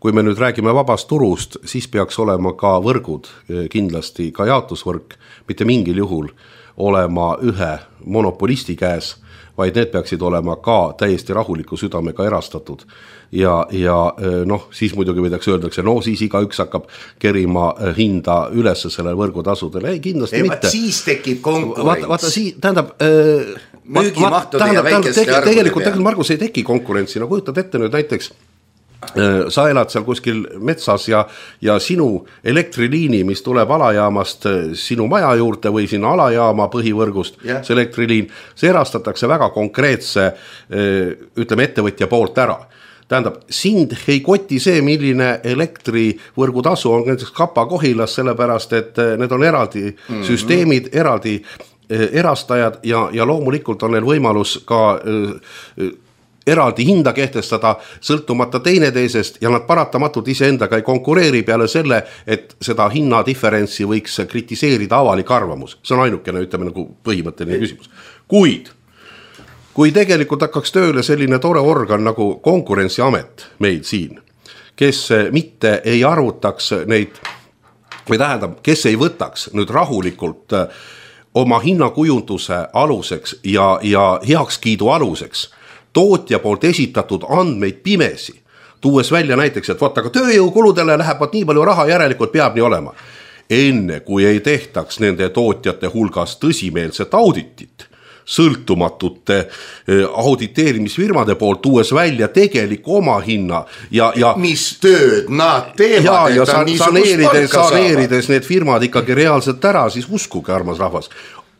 kui me nüüd räägime vabast turust, siis peaks olema ka võrgud, kindlasti ka jaotusvõrk, mitte mingil juhul olema ühe monopolisti käes, vaid need peaksid olema ka täiesti rahuliku südamega erastatud. Ja, ja noh, siis muidugi võidakse öeldakse, no siis iga üks hakkab kerima hinda ülesse selle võrgutasudele. Ei, kindlasti ei, mitte. Siis tekib konkurents. Vaata, vaata siis, tähendab... Müügimahtude ja väikeste tege, arvude tegelikult, tegelikult, Margus, ei teki konkurentsi. No kujutad ette nüüd näiteks, sa elad seal kuskil metsas ja, ja sinu elektriliini, mis tuleb alajaamast sinu maja juurde või sinu alajaama põhivõrgust, yeah. see elektriliin, see erastatakse väga konkreetse, ütleme, ettevõtja poolt ära. Tähendab, sind ei koti see, milline elektrivõrgutasu on näiteks Kapa Kohilas, sellepärast, et need on eraldi mm-hmm. süsteemid, eraldi erastajad ja, ja loomulikult on neil võimalus ka äh, eraldi hinda kehtestada sõltumata teineteisest ja nad paratamatult iseendaga ei konkureeri peale selle, et seda hinnadiferentsi võiks kritiseerida avalik arvamus. See on ainukene, ütleme, nagu põhimõtteline küsimus. Kuid, kui tegelikult hakkaks tööle selline tore organ nagu Konkurentsiamet meil siin, kes mitte ei arvutaks neid, või tähendab, kes ei võtaks nüüd rahulikult oma hinnakujunduse aluseks ja, ja heakskiidu aluseks tootja poolt esitatud andmeid pimesi, tuues välja näiteks, et võt, aga tööjõukuludele läheb nii palju raha, järelikult peab nii olema. Enne kui ei tehtaks nende tootjate hulgas tõsimeelset auditit, sõltumatute auditeerimisfirmade poolt tuues välja tegeliku oma hinna ja, ja mis tööd nad teevad, ja, ja saneerides, saneerides need firmad ikkagi reaalselt ära, siis uskuge, armas rahvas,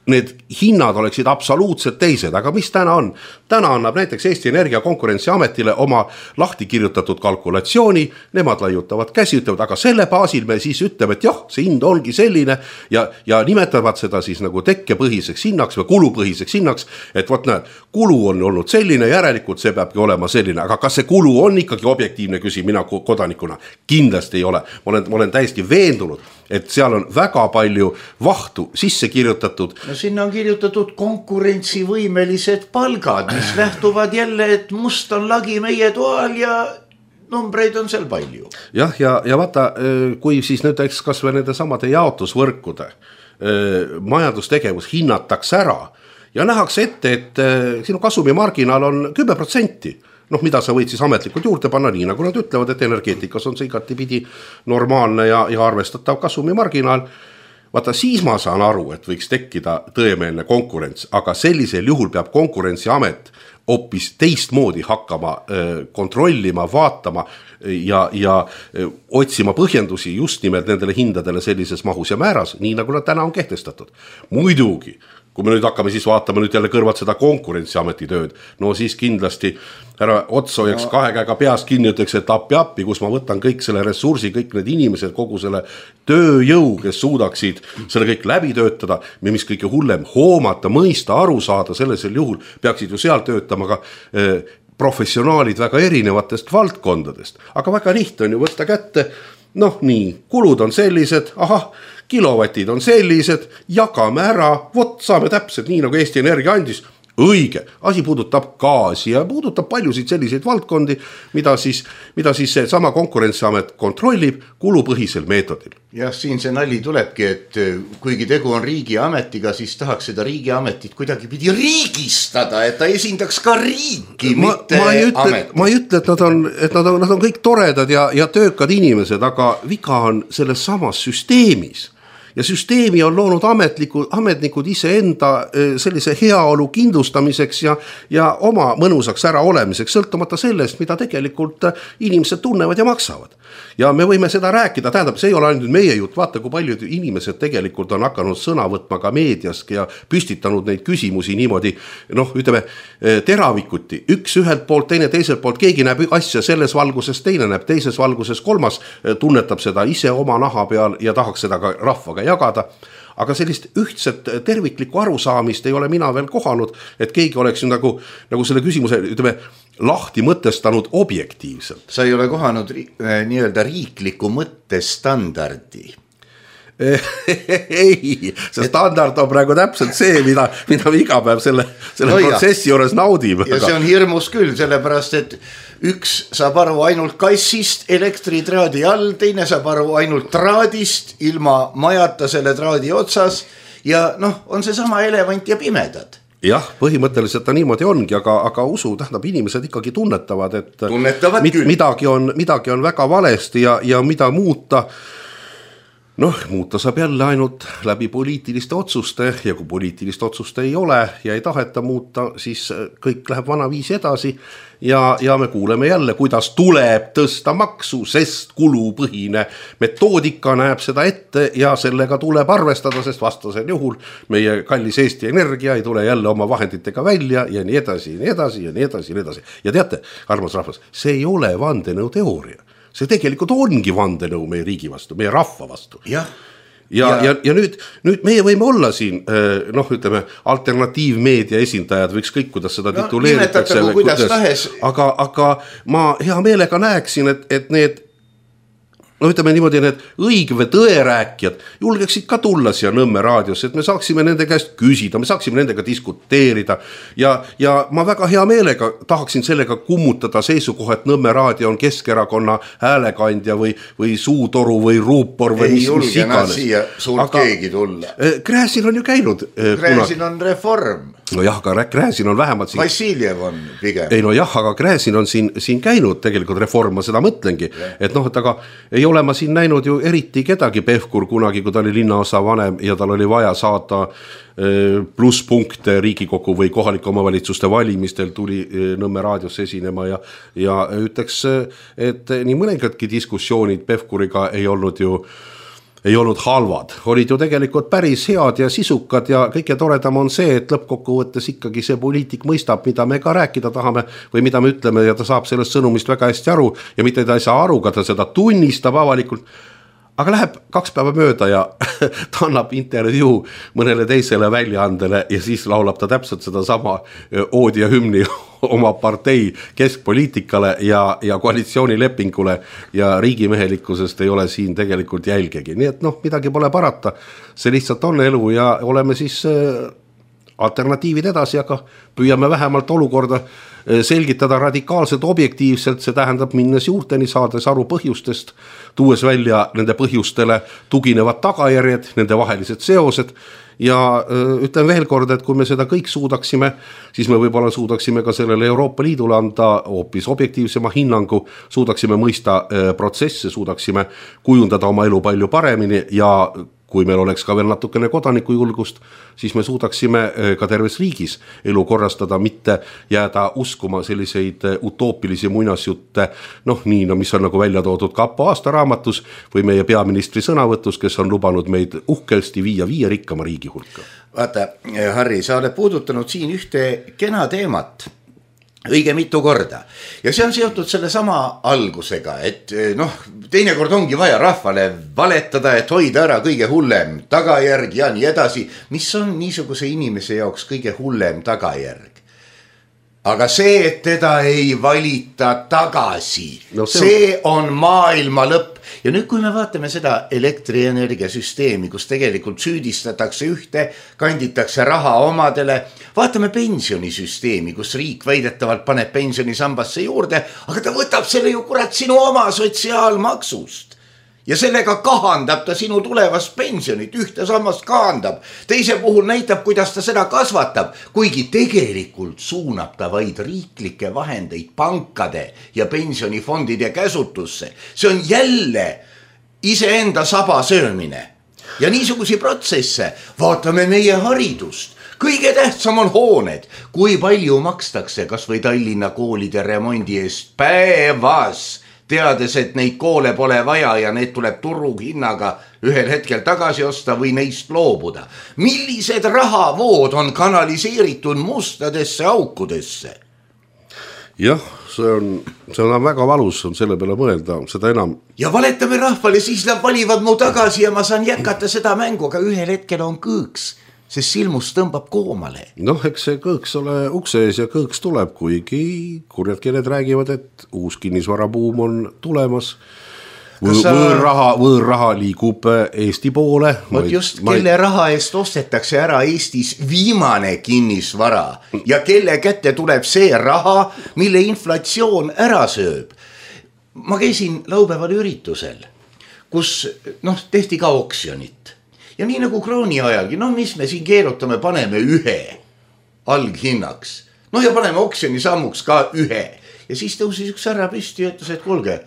need hinnad oleksid absoluutselt teised, aga mis täna on? Täna annab näiteks Eesti Energia Konkurentsiametile oma lahti kirjutatud kalkulatsiooni, nemad laiutavad käsi, ütlevad, aga selle baasil me siis ütleme, et jah, see hind ongi selline ja, ja nimetavad seda siis nagu tekkepõhiseks hinnaks või kulupõhiseks hinnaks, et võt näed, kulu on olnud selline, järelikult see peabki olema selline, aga kas see kulu on ikkagi objektiivne, küsin mina kodanikuna? Kindlasti ei ole. Ma olen, ma olen täiesti veendunud, et seal on väga palju vahtu sisse kirjutatud. No sinna on kirjutatud konkurentsivõimelised palgad, mis lähtuvad jälle, et must on lagi meie toal ja numbreid on seal palju. Jah, ja, ja vaata, kui siis nüüd eks kas või nende samade jaotusvõrkude majandustegevus hinnatakse ära ja nähakse ette, et sinu kasumimarginaal on kümme protsenti. Noh, mida sa võid siis ametlikult juurde panna, nii nagu nad ütlevad, et energeetikas on see igatipidi normaalne ja, ja arvestatav kasumimarginaal. Vaata, siis ma saan aru, et võiks tekkida tõemeelne konkurents, aga sellisel juhul peab Konkurentsiamet hoopis teistmoodi hakkama kontrollima, vaatama ja, ja otsima põhjendusi just nimelt nendele hindadele sellises mahus ja määras, nii nagu nad täna on kehtestatud. Muidugi, kui me nüüd hakkame siis vaatama nüüd jälle kõrvalt seda Konkurentsiameti tööd, no siis kindlasti härra Otsojaks no. kahe käega peast kinni ütleks, et appi appi, kus ma võtan kõik selle ressursi, kõik need inimesed, kogu selle tööjõu, kes suudaksid selle kõik läbi töötada, mis kõige hullem hoomata, mõista, aru saada, sellisel juhul peaksid ju seal töötama ka eh, professionaalid väga erinevatest valdkondadest. Aga väga lihtne on ju võtta kätte, noh nii, kulud on sellised, ahah, kilovatid on sellised, jagame ära, vot saame täpselt nii nagu Eesti Energia andis, õige, asi puudutab gaasi ja puudutab paljusid selliseid valdkondi, mida siis, mida siis see sama Konkurentsiamet kontrollib kulupõhisel meetodil. Jah, siin see nali tulebki, et kuigi tegu on riigiametiga, siis tahaks seda riigiametit kuidagi pidi riigistada, et ta esindaks ka riiki, ma, mitte ma ei ütle, ametit. Ma ei ütle, et nad on, et nad on, nad on kõik toredad ja, ja töökad inimesed, aga viga on selles samas süsteemis. Ja süsteemi on loonud ametlikud, ametnikud iseenda sellise heaolu kindlustamiseks ja, ja oma mõnusaks ära olemiseks, sõltumata sellest, mida tegelikult inimesed tunnevad ja maksavad. Ja me võime seda rääkida, tähendab, see ei ole ainult meie jutt, vaata, kui paljud inimesed tegelikult on hakanud sõna võtma ka meediast ja püstitanud neid küsimusi niimoodi, noh, ütleme, teravikuti, üks ühelt poolt, teine teiselt poolt, keegi näeb asja selles valguses, teine näeb teises valguses, kolmas tunnetab seda ise oma naha peal ja tahaks seda ka rahvaga jagada, aga sellist ühtset terviklikku arusaamist ei ole mina veel kohanud, et keegi oleks nagu, nagu selle küsimuse, ütleme, lahti mõtestanud objektiivselt. Sa ei ole kohanud nii-öelda riikliku mõttestandardi? Ei, see standard on praegu täpselt see, mida, mida me iga päev selle, selle no protsessi juures naudime. Ja see on hirmus küll, sellepärast, et üks saab aru ainult kassist elektritraadi all, teine saab aru ainult traadist ilma majata selle traadi otsas ja noh, on see sama elevant ja pimedad. Jah, põhimõtteliselt ta niimoodi ongi, aga, aga usu tähendab, inimesed ikkagi tunnetavad, et tunnetavad mid, midagi, on, midagi on väga valesti ja, ja mida muuta, noh, muuta saab jälle ainult läbi poliitiliste otsuste ja kui poliitilist otsuste ei ole ja ei taheta muuta, siis kõik läheb vanaviisi edasi ja, ja me kuuleme jälle, kuidas tuleb tõsta maksu, sest kulupõhine metoodika näeb seda ette ja sellega tuleb arvestada, sest vastasel juhul meie kallis Eesti Energia ei tule jälle oma vahenditega välja ja nii edasi, nii edasi ja nii edasi, nii edasi. Ja teate, armas rahvas, see ei ole vandenõu teooria. See tegelikult ongi vandenõu meie riigi vastu, meie rahva vastu. Jah. Ja, ja, ja, ja nüüd, nüüd meie võime olla siin, noh, ütleme, alternatiivmeedia esindajad võiks kõik, kuidas seda no, tituleeritakse. Aga, aga ma hea meelega näeksin, et, et need no ütleme niimoodi, need õige või tõerääkjad julgeksid ka tulla siia Nõmme raadiosse, et me saaksime nende käest küsida, me saaksime nendega diskuteerida ja, ja ma väga hea meelega tahaksin sellega kummutada seisukoha, et Nõmme raadio on Keskerakonna häälekandja või, või suutoru või ruupor või ei mis, julge mis iganes. Siia suurt aga keegi tulla. Gräzin on ju käinud. Gräzin on reform. No jah, aga Gräzin on vähemalt siin... Vassiljev on pigem. Ei no jah, aga Gräzin on siin, siin käinud tegelikult reform, ma seda mõtlengi. Yeah. Et noh, et aga ei ole ma siin näinud ju eriti kedagi Pevkur kunagi, kui ta oli linnaosa vanem ja tal oli vaja saada plusspunkte Riigikogu või kohalike omavalitsuste valimistel tuli Nõmme raadios esinema ja, ja ütleks, et nii mõningadki diskussioonid Pevkuriga ei olnud ju ei olnud halvad, olid ju tegelikult päris head ja sisukad ja kõige toredam on see, et lõppkokkuvõttes ikkagi see poliitik mõistab, mida me ka rääkida tahame või mida me ütleme ja ta saab sellest sõnumist väga hästi aru ja mitte ta ei saa aru, ka ta seda tunnistab avalikult, aga läheb kaks päeva mööda ja ta annab intervjuu mõnele teisele väljaandele ja siis laulab ta täpselt seda sama oodi ja hümni oma partei keskpoliitikale ja, ja koalitsioonilepingule ja riigimehelikkusest ei ole siin tegelikult jälgegi. Nii et noh, midagi pole parata, see lihtsalt on elu ja oleme siis alternatiivid edasi, aga püüame vähemalt olukorda selgitada radikaalselt objektiivselt, see tähendab minnes juurteni, saades aru põhjustest, tuues välja nende põhjustele tuginevad tagajärjed, nende vahelised seosed ja ütlen veel kord, et kui me seda kõik suudaksime, siis me võib-olla suudaksime ka sellele Euroopa Liidule anda hoopis objektiivsema hinnangu, suudaksime mõista protsesse, suudaksime kujundada oma elu palju paremini ja kui meil oleks ka veel natukene kodanikujulgust, siis me suudaksime ka terves riigis elu korrastada, mitte jääda uskuma selliseid utoopilisi muinasjutte, noh nii, no mis on nagu välja toodud Kapo aastaraamatus või meie peaministri sõnavõtus, kes on lubanud meid uhkelsti viia viie rikkama riigi hulka. Vaata, Harri, sa oled puudutanud siin ühte kena teemat õige mitu korda ja see on seotud selle sama algusega, et noh, teinekord ongi vaja rahvale valetada, et hoida ära kõige hullem tagajärg ja nii edasi, mis on niisuguse inimese jaoks kõige hullem tagajärg. Aga see, et teda ei valita tagasi, no see, see on maailma lõpp. Ja nüüd, kui me vaatame seda elektrienergiasüsteemi, kus tegelikult süüdistatakse ühte, kanditakse raha omadele, vaatame pensionisüsteemi, kus riik väidetavalt paneb pensionisambasse juurde, aga ta võtab selle ju kurat sinu oma sotsiaalmaksust. Ja sellega kahandab ta sinu tulevast pensionit, ühte sammast kahandab. Teise puhul näitab, kuidas ta seda kasvatab, kuigi tegelikult suunab ta vaid riiklikke vahendeid pankade ja pensionifondide käsutusse. See on jälle iseenda saba söömine. Ja niisugusi protsesse vaatame meie haridust. Kõige tähtsam on hooned, kui palju makstakse kas või Tallinna koolide remondi eest päevas, teades, et neid koole pole vaja ja need tuleb turuhinnaga ühel hetkel tagasi osta või neist loobuda. Millised rahavood on kanaliseeritud mustadesse aukudesse? Jah, see on, see on väga valus, on selle peale mõelda, seda enam. Ja valetame rahvale, siis nad valivad mu tagasi ja ma saan jätkata seda mängu, aga ühel hetkel on kõõks. Sest silmus tõmbab koomale. Noh, eks see kõõks ole ukse ees ja kõõks tuleb, kuigi kurjad keeled räägivad, et uus kinnisvarabuum on tulemas. Võõr, sa... võõrraha, võõrraha liigub Eesti poole. Võt just, ma... kelle raha eest ostetakse ära Eestis viimane kinnisvara ja kelle kätte tuleb see raha, mille inflatsioon ära sööb. Ma käisin laupäeval üritusel, kus noh, tehti ka oksjonit. ja nii nagu krooni ajalgi, no mis me siin keerutame, paneme ühe alghinnaks, noh ja paneme oksjoni sammuks ka ühe ja siis tõusis üks härra püsti ja ütles, et kuulge,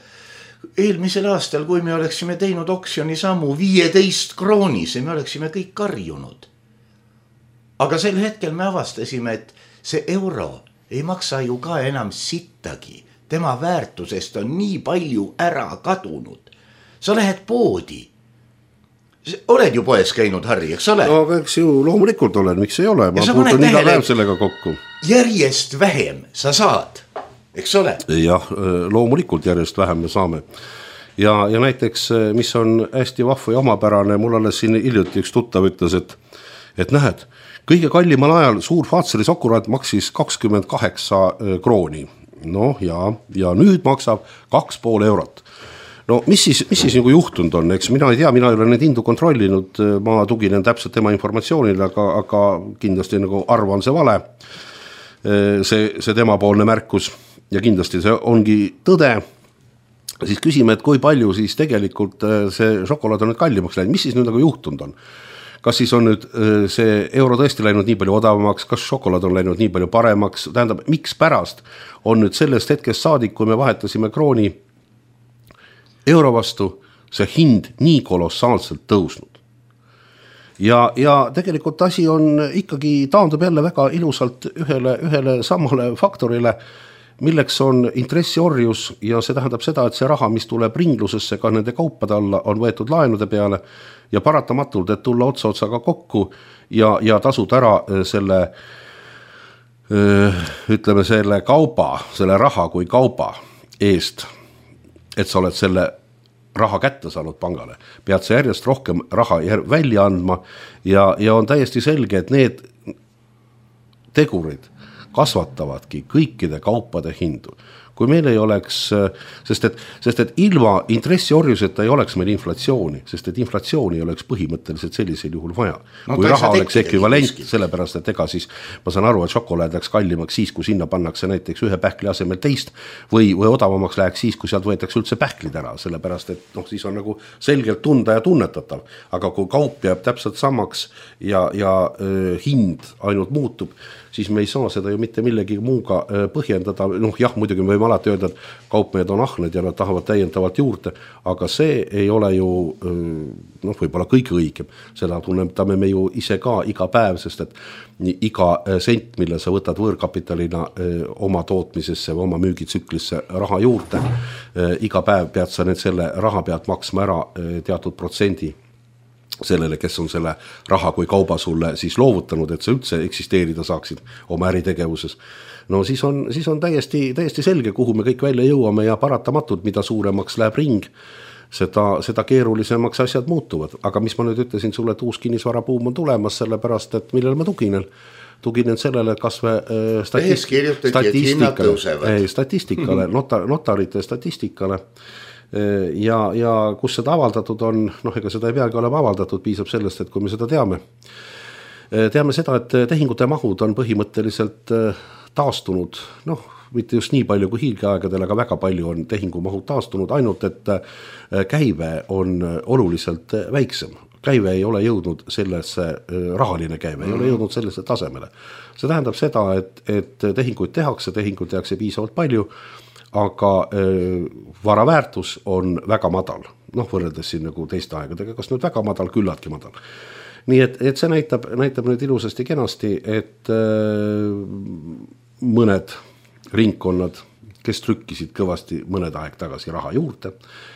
eelmisel aastal, kui me oleksime teinud oksjoni sammu viieteist kroonise, me oleksime kõik karjunud. Aga sel hetkel me avastasime, et see euro ei maksa ju ka enam sittagi. Tema väärtusest on nii palju ära kadunud. Sa lähed poodi. Oled ju poes käinud, Harri, eks ole? No, eks ju loomulikult olen, miks ei ole? Ma puutun iga päev sellega kokku. Järjest vähem sa saad, eks ole? Jah, loomulikult järjest vähem me saame. Ja, ja näiteks, mis on hästi vahva ja omapärane, mul alles siin hiljuti üks tuttav ütles, et, et nähed, kõige kallimal ajal suur Faatseri sokuraat maksis kakskümmend kaheksa krooni. No ja, ja nüüd maksab kaks pool eurot. No mis siis, mis siis nagu juhtunud on, eks mina ei tea, mina ei ole need hindu kontrollinud, ma tuginen täpselt tema informatsioonile, aga, aga kindlasti nagu arvan see vale, see, see tema poolne märkus ja kindlasti see ongi tõde. Siis küsime, et kui palju siis tegelikult see šokolaad on nüüd kallimaks läinud, mis siis nüüd nagu juhtunud on? Kas siis on nüüd see euro tõesti läinud nii palju odavamaks, kas šokolaad on läinud nii palju paremaks, tähendab, miks pärast on nüüd sellest hetkest saadik, kui me vahetasime krooni euro vastu, see hind nii kolossaalselt tõusnud. Ja, ja tegelikult asi on ikkagi taandub jälle väga ilusalt ühele, ühele samale faktorile, milleks on intressiorjus ja see tähendab seda, et see raha, mis tuleb ringlusesse ka nende kaupade alla, on võetud laenude peale ja paratamatult, et tulla otsa otsaga kokku ja, ja tasud ära selle, ütleme selle kauba, selle raha kui kauba eest, et sa oled selle raha kätte saanud pangale, pead sa järjest rohkem raha välja andma ja, ja on täiesti selge, et need tegurid kasvatavadki kõikide kaupade hindu. Kui meil ei oleks, sest et, sest et ilma intressiorjuseta ei oleks meil inflatsiooni, sest et inflatsiooni ei oleks põhimõtteliselt sellisel juhul vaja. No, kui raha oleks ekvivalent, sellepärast, et ega siis ma saan aru, et šokolaad läks kallimaks siis, kui sinna pannakse näiteks ühe pähkli asemel teist või, või odavamaks läheks siis, kui sealt võetakse üldse pähklid ära, sellepärast, et noh, siis on nagu selgelt tunda ja tunnetatav. Aga kui kaup jääb täpselt samaks ja, ja äh, hind ainult muutub, siis me ei saa seda ju mitte millegi muuga põhjendada. Noh, jah, muidugi me võime alati öelda, et kaupmehed on ahned ja nad tahavad täiendavalt juurde, aga see ei ole ju noh, võib-olla kõige õigem. Seda tunnetame me ju ise ka iga päev, sest et iga sent, mille sa võtad võõrkapitalina oma tootmisesse või oma müügitsüklisse raha juurde, iga päev pead sa need selle raha pealt maksma ära teatud protsendi sellele, kes on selle raha kui kauba sulle siis loovutanud, et sa üldse eksisteerida saaksid oma äritegevuses. No siis on, siis on täiesti, täiesti selge, kuhu me kõik välja jõuame ja paratamatult, mida suuremaks läheb ring, seda, seda keerulisemaks asjad muutuvad. Aga mis ma nüüd ütlesin sulle, et uus kinnisvarabuum on tulemas, sellepärast, et millele ma tuginen? Tuginen sellele, kas me statist- statistikale, statistikale notar, notarite statistikale, ja, ja kus seda avaldatud on, noh, ega seda ei peagi olema avaldatud, piisab sellest, et kui me seda teame. Teame seda, et tehingute mahud on põhimõtteliselt taastunud, noh, mitte just nii palju kui hiilgeaegadel, aga väga palju on tehingumahud taastunud, ainult et käive on oluliselt väiksem. Käive ei ole jõudnud sellesse, rahaline käive ei ole jõudnud sellesse tasemele. See tähendab seda, et, et tehinguid tehakse, tehinguid tehakse piisavalt palju, aga äh, varaväärtus on väga madal, noh, võrreldes siin nagu teiste aegadega, kas nüüd väga madal, küllaltki madal. Nii et, et see näitab, näitab nüüd ilusasti kenasti, et äh, mõned ringkonnad, kes trükkisid kõvasti mõned aeg tagasi raha juurde,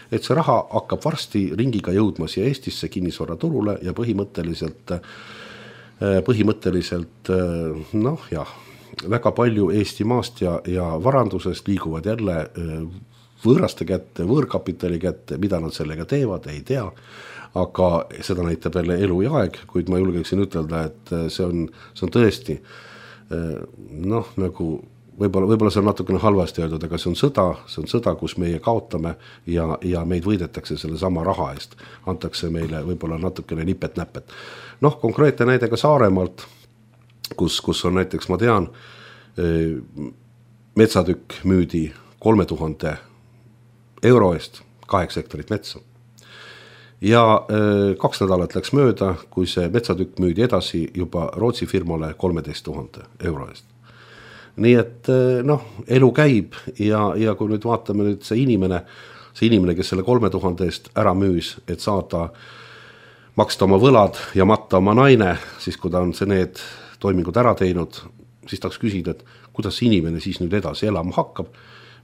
et see raha hakkab varsti ringiga jõudma siia Eestisse kinnisvaraturule ja põhimõtteliselt, äh, põhimõtteliselt äh, noh jah, väga palju Eesti maast ja, ja varandusest liiguvad jälle võõraste kätte, võõrkapitali kätte, mida nad sellega teevad, ei tea, aga seda näitab jälle elu ja aeg, kuid ma julgeksin ütelda, et see on, see on tõesti noh, nagu võib-olla, võib-olla see on natukene halvasti öeldud, aga see on sõda, see on sõda, kus meie kaotame ja, ja meid võidetakse selle sama raha eest, antakse meile võib-olla natukene nipet-näpet. Noh, konkreetne näide ka Saaremaalt, Kus, kus on näiteks, ma tean, metsatükk müüdi kolme tuhande euro eest, kaheksa hektarit metsa. ja kaks nädalat läks mööda, kui see metsatükk müüdi edasi juba Rootsi firmale kolmeteist tuhande euro eest. Nii et noh, elu käib ja, ja kui nüüd vaatame nüüd see inimene, see inimene, kes selle kolme tuhande eest ära müüs, et saada maksta oma võlad ja matta oma naine, siis kui ta on see need toimingud ära teinud, siis tahaks küsida, et kuidas see inimene siis nüüd edasi elama hakkab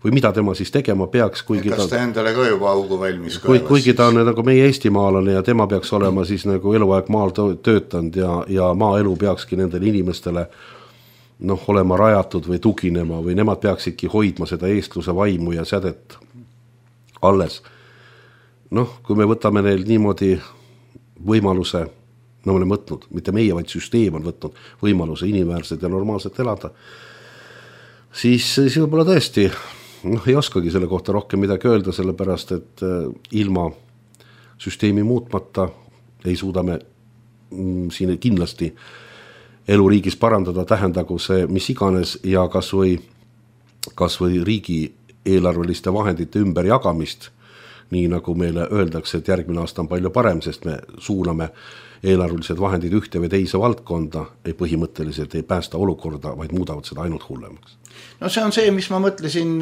või mida tema siis tegema peaks, kuigi kas ta endale ka juba augu valmis kui, kuigi ta on nagu meie eestimaalane ja tema peaks olema siis nagu eluaeg maal töötanud ja, ja maaelu peakski nendele inimestele noh, olema rajatud või tuginema või nemad peaksidki hoidma seda eestluse vaimu ja sädet alles. Noh, kui me võtame neil niimoodi võimaluse, no me oleme võtnud, mitte meie, vaid süsteem on võtnud võimaluse inimväärselt ja normaalselt elada, siis, siis võib-olla tõesti noh, ei oskagi selle kohta rohkem midagi öelda, sellepärast, et ilma süsteemi muutmata ei suuda me mm, siin kindlasti eluriigis parandada, tähendagu see mis iganes ja kas või, kas või riigi eelarveliste vahendite ümberjagamist, nii nagu meile öeldakse, et järgmine aasta on palju parem, sest me suuname eelarvelised vahendid ühte või teise valdkonda, ei põhimõtteliselt ei päästa olukorda, vaid muudavad seda ainult hullemaks. No see on see, mis ma mõtlesin,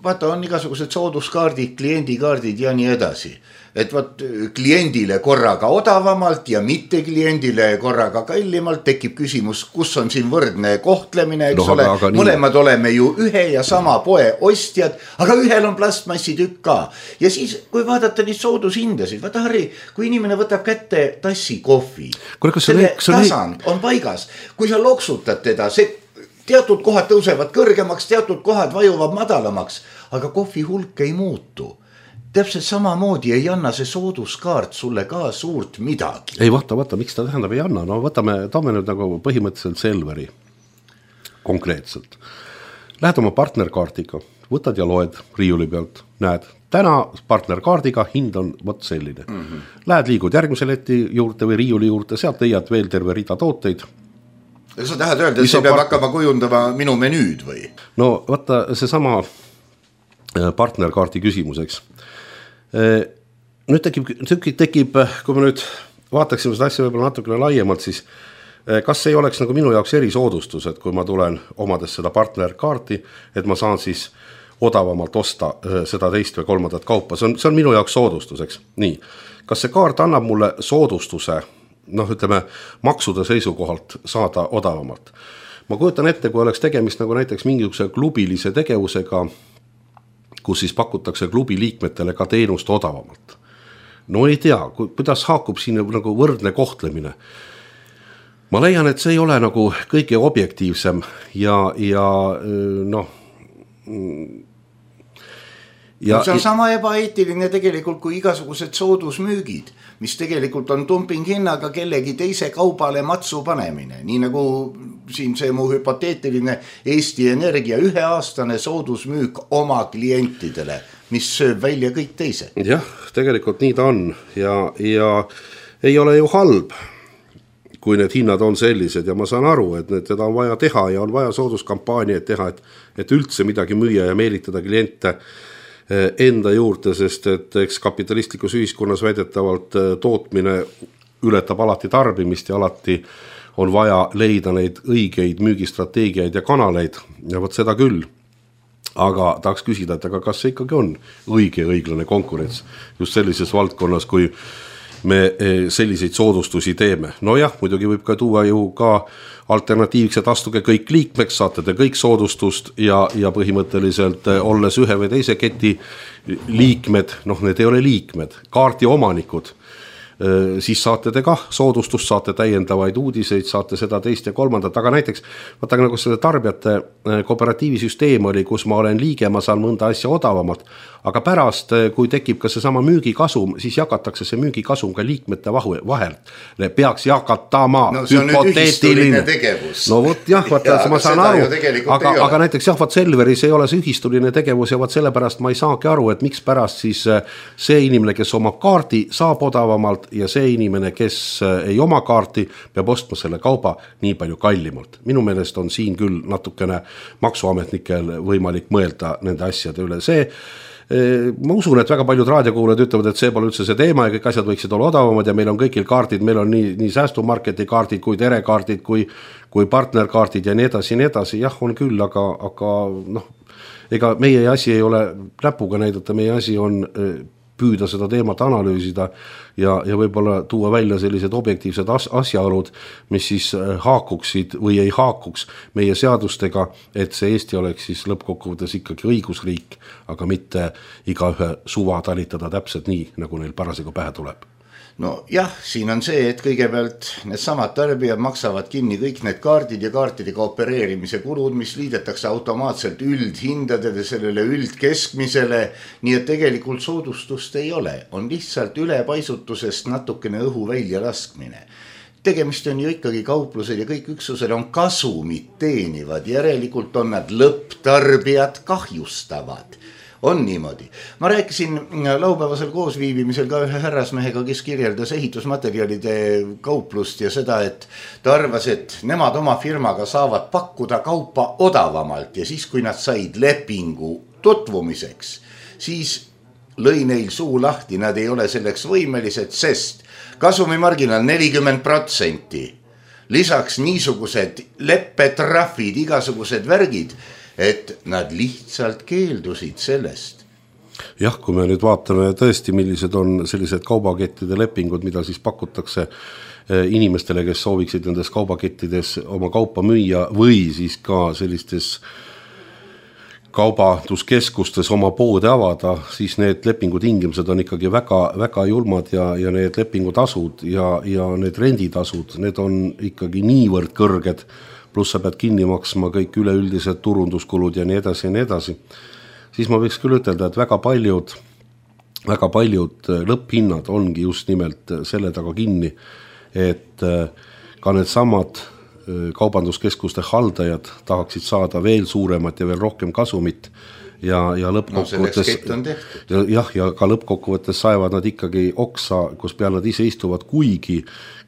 vaata on igasugused sooduskaardid, kliendikaardid ja nii edasi. Et vaat kliendile korraga odavamalt ja mitte kliendile korraga kallimalt tekib küsimus, kus on siin võrdne kohtlemine, eks no, ole, aga, aga mõlemad nii... oleme ju ühe ja sama poe ostjad, aga ühel on plastmassi tükk ka. Ja siis, kui vaadata neid soodushindasid, vaata Harri, kui inimene võtab kätte tassi kohvi, Kule, selle see tasand on paigas, kui sa loksutad teda, see teatud kohad tõusevad kõrgemaks, teatud kohad vajuvad madalamaks, aga kohvi hulk ei muutu. Täpselt samamoodi ei anna see sooduskaart sulle ka suurt midagi. Ei, vaata, vaata, miks ta tähendab ei anna? No võtame, toome nüüd nagu põhimõtteliselt Selveri konkreetselt. Lähed oma partnerkaardiga, võtad ja loed riiuli pealt, näed, täna partnerkaardiga hind on võt selline. Mm-hmm. Lähed liigud järgmise leti juurde või riiuli juurde, sealt leiad veel terve rida tooteid. Ja sa tahad öelda, et see peab part... hakkama kujundama minu menüüd või? No vaata, see sama partnerkaardi küsimuseks. Nüüd tekib, tekib, kui me nüüd vaataksime seda asja võib-olla natukene laiemalt, siis kas ei oleks nagu minu jaoks erisoodustus, et kui ma tulen omades seda partnerkaarti, et ma saan siis odavamalt osta seda teist või kolmandat kaupa, see on, see on minu jaoks soodustuseks. Nii, kas see kaart annab mulle soodustuse, noh ütleme, maksude seisukohalt saada odavamalt? Ma kujutan ette, kui oleks tegemist nagu näiteks mingisuguse klubilise tegevusega, kus siis pakutakse klubi liikmetele ka teenust odavamalt. No ei tea, kuidas haakub siin nagu võrdne kohtlemine. Ma leian, et see ei ole nagu kõige objektiivsem ja, ja noh... Ja, no see on sama ebaeetiline tegelikult kui igasugused soodusmüügid, mis tegelikult on dumping hinnaga kellegi teise kaubale matsu panemine. Nii nagu siin see mu hüpoteetiline Eesti Energia üheaastane soodusmüük oma klientidele, mis sööb välja kõik teise. Jah, tegelikult nii ta on ja, ja ei ole ju halb, kui need hinnad on sellised ja ma saan aru, et need, teda on vaja teha ja on vaja sooduskampaaniaid teha, et, et üldse midagi müüa ja meelitada kliente enda juurde, sest et eks kapitalistlikus ühiskonnas väidetavalt tootmine ületab alati tarbimist ja alati on vaja leida neid õigeid müügistrateegiaid ja kanaleid ja võt seda küll. Aga tahaks küsida, et aga kas see ikkagi on õige ja õiglane konkurents just sellises valdkonnas, kui me selliseid soodustusi teeme. No jah, muidugi võib ka tuua ju ka alternatiivselt, et astuge kõik liikmeks, saate te kõik soodustust ja, ja põhimõtteliselt olles ühe või teise keti liikmed, noh need ei ole liikmed, kaarti omanikud, siis saate te kah soodustust, saate täiendavaid uudiseid, saate seda teist ja kolmandat, aga näiteks vaata nagu selle tarbijate kooperatiivisüsteem oli, kus ma olen liige, ma saan mõnda asja odavamalt, aga pärast, kui tekib ka see sama müügikasum, siis jagatakse see müügikasum ka liikmete vahel. Peaks jakatama no, see on nüüd ühistuline tegevus. No vot jah, vaata, ja, ma saan aru, aga, aga näiteks jah, vaat Selveris ei ole see ühistuline tegevus ja vaat sellepärast ma ei saagi aru, et miks pärast siis see inimene, kes omab kaardi, saab odavamalt ja see inimene, kes ei oma kaarti, peab ostma selle kauba nii palju kallimalt. Minu meelest on siin küll natukene maksuametnikel võimalik mõelda nende asjade üle. See ma usun, et väga paljud raadiokuulajad ütlevad, et see pole üldse see teema ja kõik asjad võiksid olla odavamad ja meil on kõigil kaardid, meil on nii, nii säästumarketi kaardid kui terekaardid kui, kui partnerkaardid ja nii edasi ja nii edasi, jah on küll, aga, aga noh, ega meie asi ei ole näpuga näidata, meie asi on püüda seda teemat analüüsida ja, ja võib-olla tuua välja sellised objektiivsed as, asjaolud, mis siis haakuksid või ei haakuks meie seadustega, et see Eesti oleks siis lõppkokkuvõttes ikkagi õigusriik, aga mitte igaühe suva talitada täpselt nii, nagu neil parasjagu pähe tuleb. No jah, siin on see, et kõigepealt need samad tarbijad maksavad kinni kõik need kaardid ja kaartidega opereerimise kulud, mis liidetakse automaatselt üldhindadele, sellele üldkeskmisele, nii et tegelikult soodustust ei ole, on lihtsalt ülepaisutusest natukene õhu välja laskmine. Tegemist on ju ikkagi kauplused ja kõik üksused on kasumit teenivad, järelikult on nad lõpptarbijad kahjustavad. On niimoodi. Ma rääkisin laupäevasel koosviibimisel ka ühe härrasmehega, kes kirjeldas ehitusmaterjalide kauplust ja seda, et ta arvas, et nemad oma firmaga saavad pakkuda kaupa odavamalt ja siis, kui nad said lepingu tutvumiseks, siis lõi neil suu lahti, nad ei ole selleks võimelised, sest kasumimarginaal nelikümmend protsenti, lisaks niisugused leppetrahvid, igasugused värgid, et nad lihtsalt keeldusid sellest. Jah, kui me nüüd vaatame tõesti, millised on sellised kaubakettide lepingud, mida siis pakutakse inimestele, kes sooviksid nendes kaubakettides oma kaupa müüa või siis ka sellistes kaubanduskeskustes oma poode avada, siis need lepingutingimused on ikkagi väga, väga julmad ja, ja need lepingutasud ja, ja need renditasud, need on ikkagi niivõrd kõrged, pluss sa pead kinni maksma kõik üleüldised turunduskulud ja nii edasi ja nii edasi, siis ma võiks küll ütelda, et väga paljud, väga paljud lõpphinnad ongi just nimelt selle taga kinni, et ka need samad kaubanduskeskuste haldajad tahaksid saada veel suuremat ja veel rohkem kasumit ja, ja lõppkokkuvõttes no, jah, ja ka lõppkokkuvõttes saevad nad ikkagi oksa, kus peal nad ise istuvad, kuigi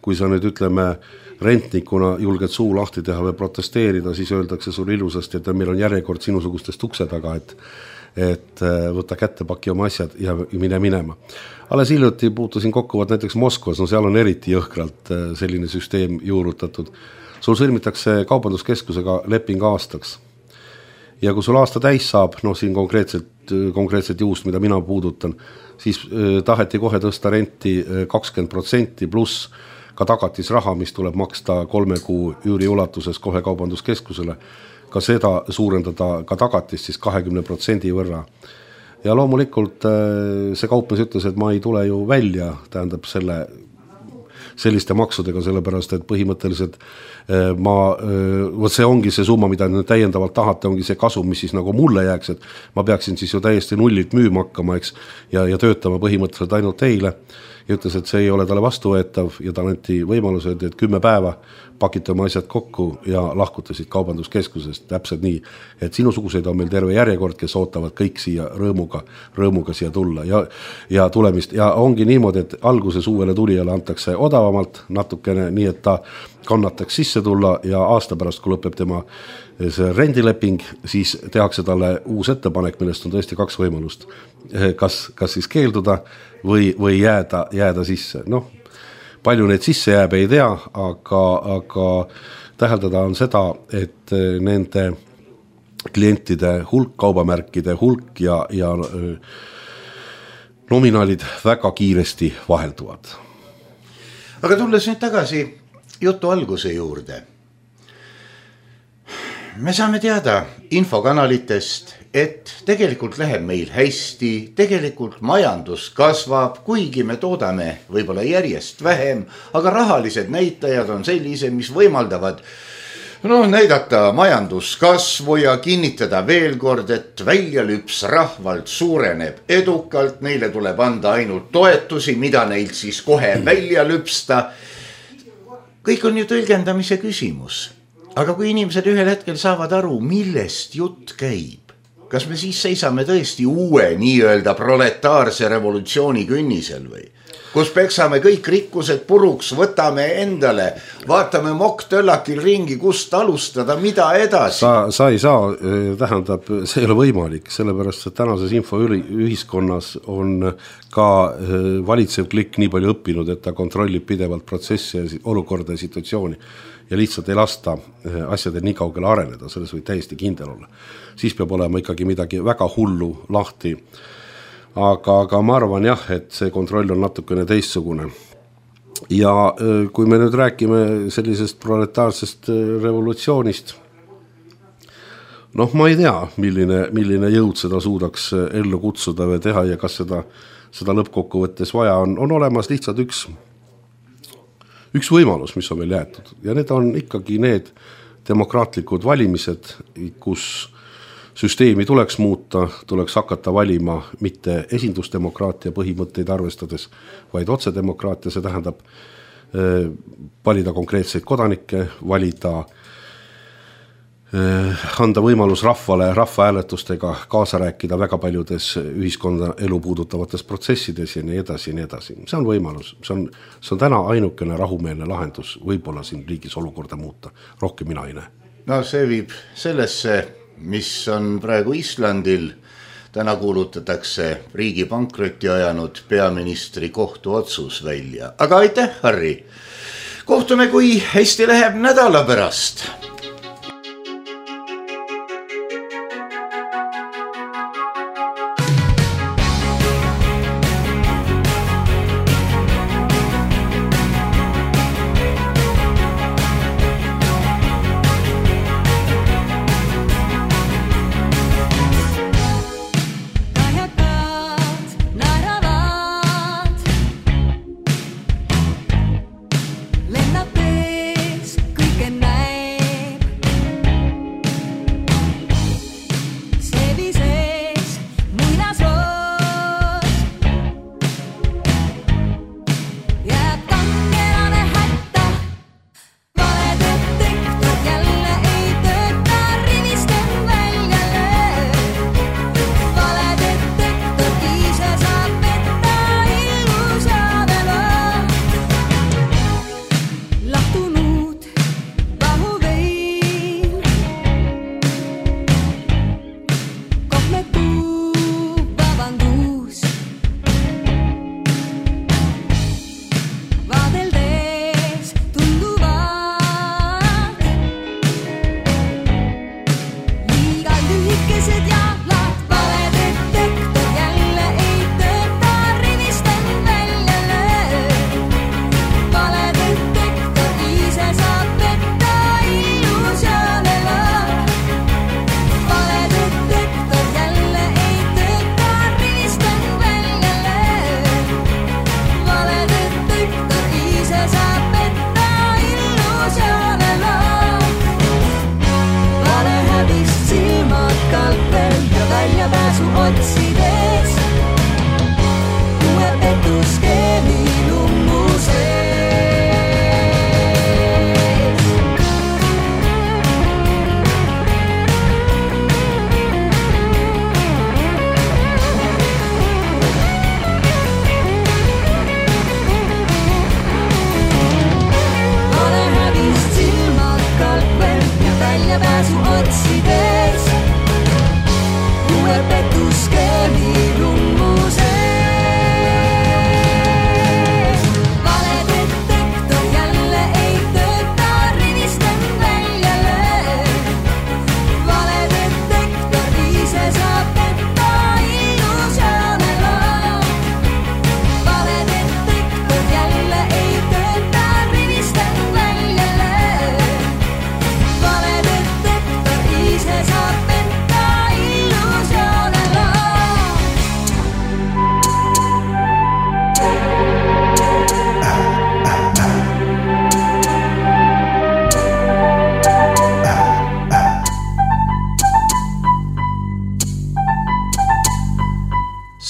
kui sa nüüd ütleme rentnikuna julged suu lahti teha või protesteerida, siis öeldakse sul ilusasti, et meil on järjekord sinusugustest ukse taga, et, et võta kätte, paki oma asjad ja mine minema. Alles hiljuti puutusin kokkuvad näiteks Moskvas, no seal on eriti jõhkralt selline süsteem juurutatud. Sul sõlmitakse kaubanduskeskusega leping aastaks. Ja kui sul aasta täis saab, noh siin konkreetselt, konkreetselt juust, mida mina puudutan, siis taheti kohe tõsta renti kakskümmend protsenti pluss ka tagatisraha, mis tuleb maksta kolme kuu üüri ulatuses kohe kaubanduskeskusele, ka seda suurendada ka tagatist siis kahekümne protsendi võrra. Ja loomulikult see kaupmees ütles, et ma ei tule ju välja, tähendab selle, selliste maksudega, sellepärast, et põhimõtteliselt ma, võt see ongi see summa, mida nüüd täiendavalt tahate, ongi see kasum, mis siis nagu mulle jääks, et ma peaksin siis ju täiesti nullilt müüma hakkama, eks, ja, ja töötama põhimõtteliselt ainult teile. Ja ütles, et see ei ole talle vastuvõetav ja ta anti võimalused, et kümme päeva pakite oma asjad kokku ja lahkutasid kaubanduskeskusest täpselt nii, et sinusuguseid on meil terve järjekord, kes ootavad kõik siia rõõmuga, rõõmuga siia tulla ja, ja tulemist ja ongi niimoodi, et alguses uuele tulijale antakse odavamalt natukene, nii et ta kannataks sisse tulla ja aasta pärast, kui lõpeb tema see rendileping, siis tehakse talle uus ettepanek, millest on tõesti kaks võimalust. Kas, kas siis keelduda või, või jääda, jääda sisse. Noh, palju neid sisse jääb ei tea, aga, aga täheldada on seda, et nende klientide hulk, kaubamärkide hulk ja, ja nominaalid väga kiiresti vahelduvad. Aga tulles nüüd tagasi jutu alguse juurde. Me saame teada infokanalitest, et tegelikult läheb meil hästi, tegelikult majandus kasvab, kuigi me toodame võib-olla järjest vähem, aga rahalised näitajad on sellised, mis võimaldavad no, näidata majanduskasvu ja kinnitada veel kord, et väljalüps rahvalt suureneb edukalt, neile tuleb anda ainult toetusi, mida neilt siis kohe välja lüpsta. Kõik on ju tõlgendamise küsimus. Aga kui inimesed ühel hetkel saavad aru, millest jutt käib, kas me siis seisame tõesti uue nii-öelda proletaarse revolutsiooni künnisel või? kus peksame kõik rikkused puruks, võtame endale, vaatame mokk-töllakil ringi, kust alustada, mida edasi. Sa, sa ei saa, tähendab, see ei ole võimalik, sellepärast, et tänases infoühiskonnas on ka valitsev klikk nii palju õppinud, et ta kontrollib pidevalt protsessi, olukorda ja situatsiooni ja lihtsalt ei lasta asjadel nii kaugele areneda, selles võib täiesti kindel olla. Siis peab olema ikkagi midagi väga hullu lahti. Aga, aga ma arvan jah, et see kontroll on natukene teistsugune. Ja kui me nüüd räägime sellisest proletaarsest revolutsioonist, noh, ma ei tea, milline, milline jõud seda suudaks ellu kutsuda või teha ja kas seda, seda lõppkokkuvõttes vaja on, on olemas lihtsalt üks, üks võimalus, mis on meil jäetud. Ja need on ikkagi need demokraatlikud valimised, kus süsteemi tuleks muuta, tuleks hakata valima mitte esindusdemokraatia põhimõtteid arvestades, vaid otsedemokraatia, see tähendab eh, valida konkreetseid kodanikke, valida, eh, anda võimalus rahvale rahvahääletustega kaasa rääkida väga paljudes ühiskonda elu puudutavates protsessides ja nii edasi ja nii edasi. See on võimalus, see on, see on täna ainukene rahumeelne lahendus, võib-olla siin riigis olukorda muuta, rohkem mina ei näe. No see viib sellesse, mis on praegu Islandil, täna kuulutatakse riigi pankrotti ajanud peaministri kohtuotsus välja. Aga aitäh, Harri! Kohtume, kui hästi läheb nädala pärast.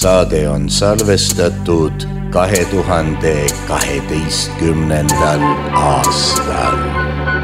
Saade on salvestatud kahe tuhande kaheteistkümnendal aastal.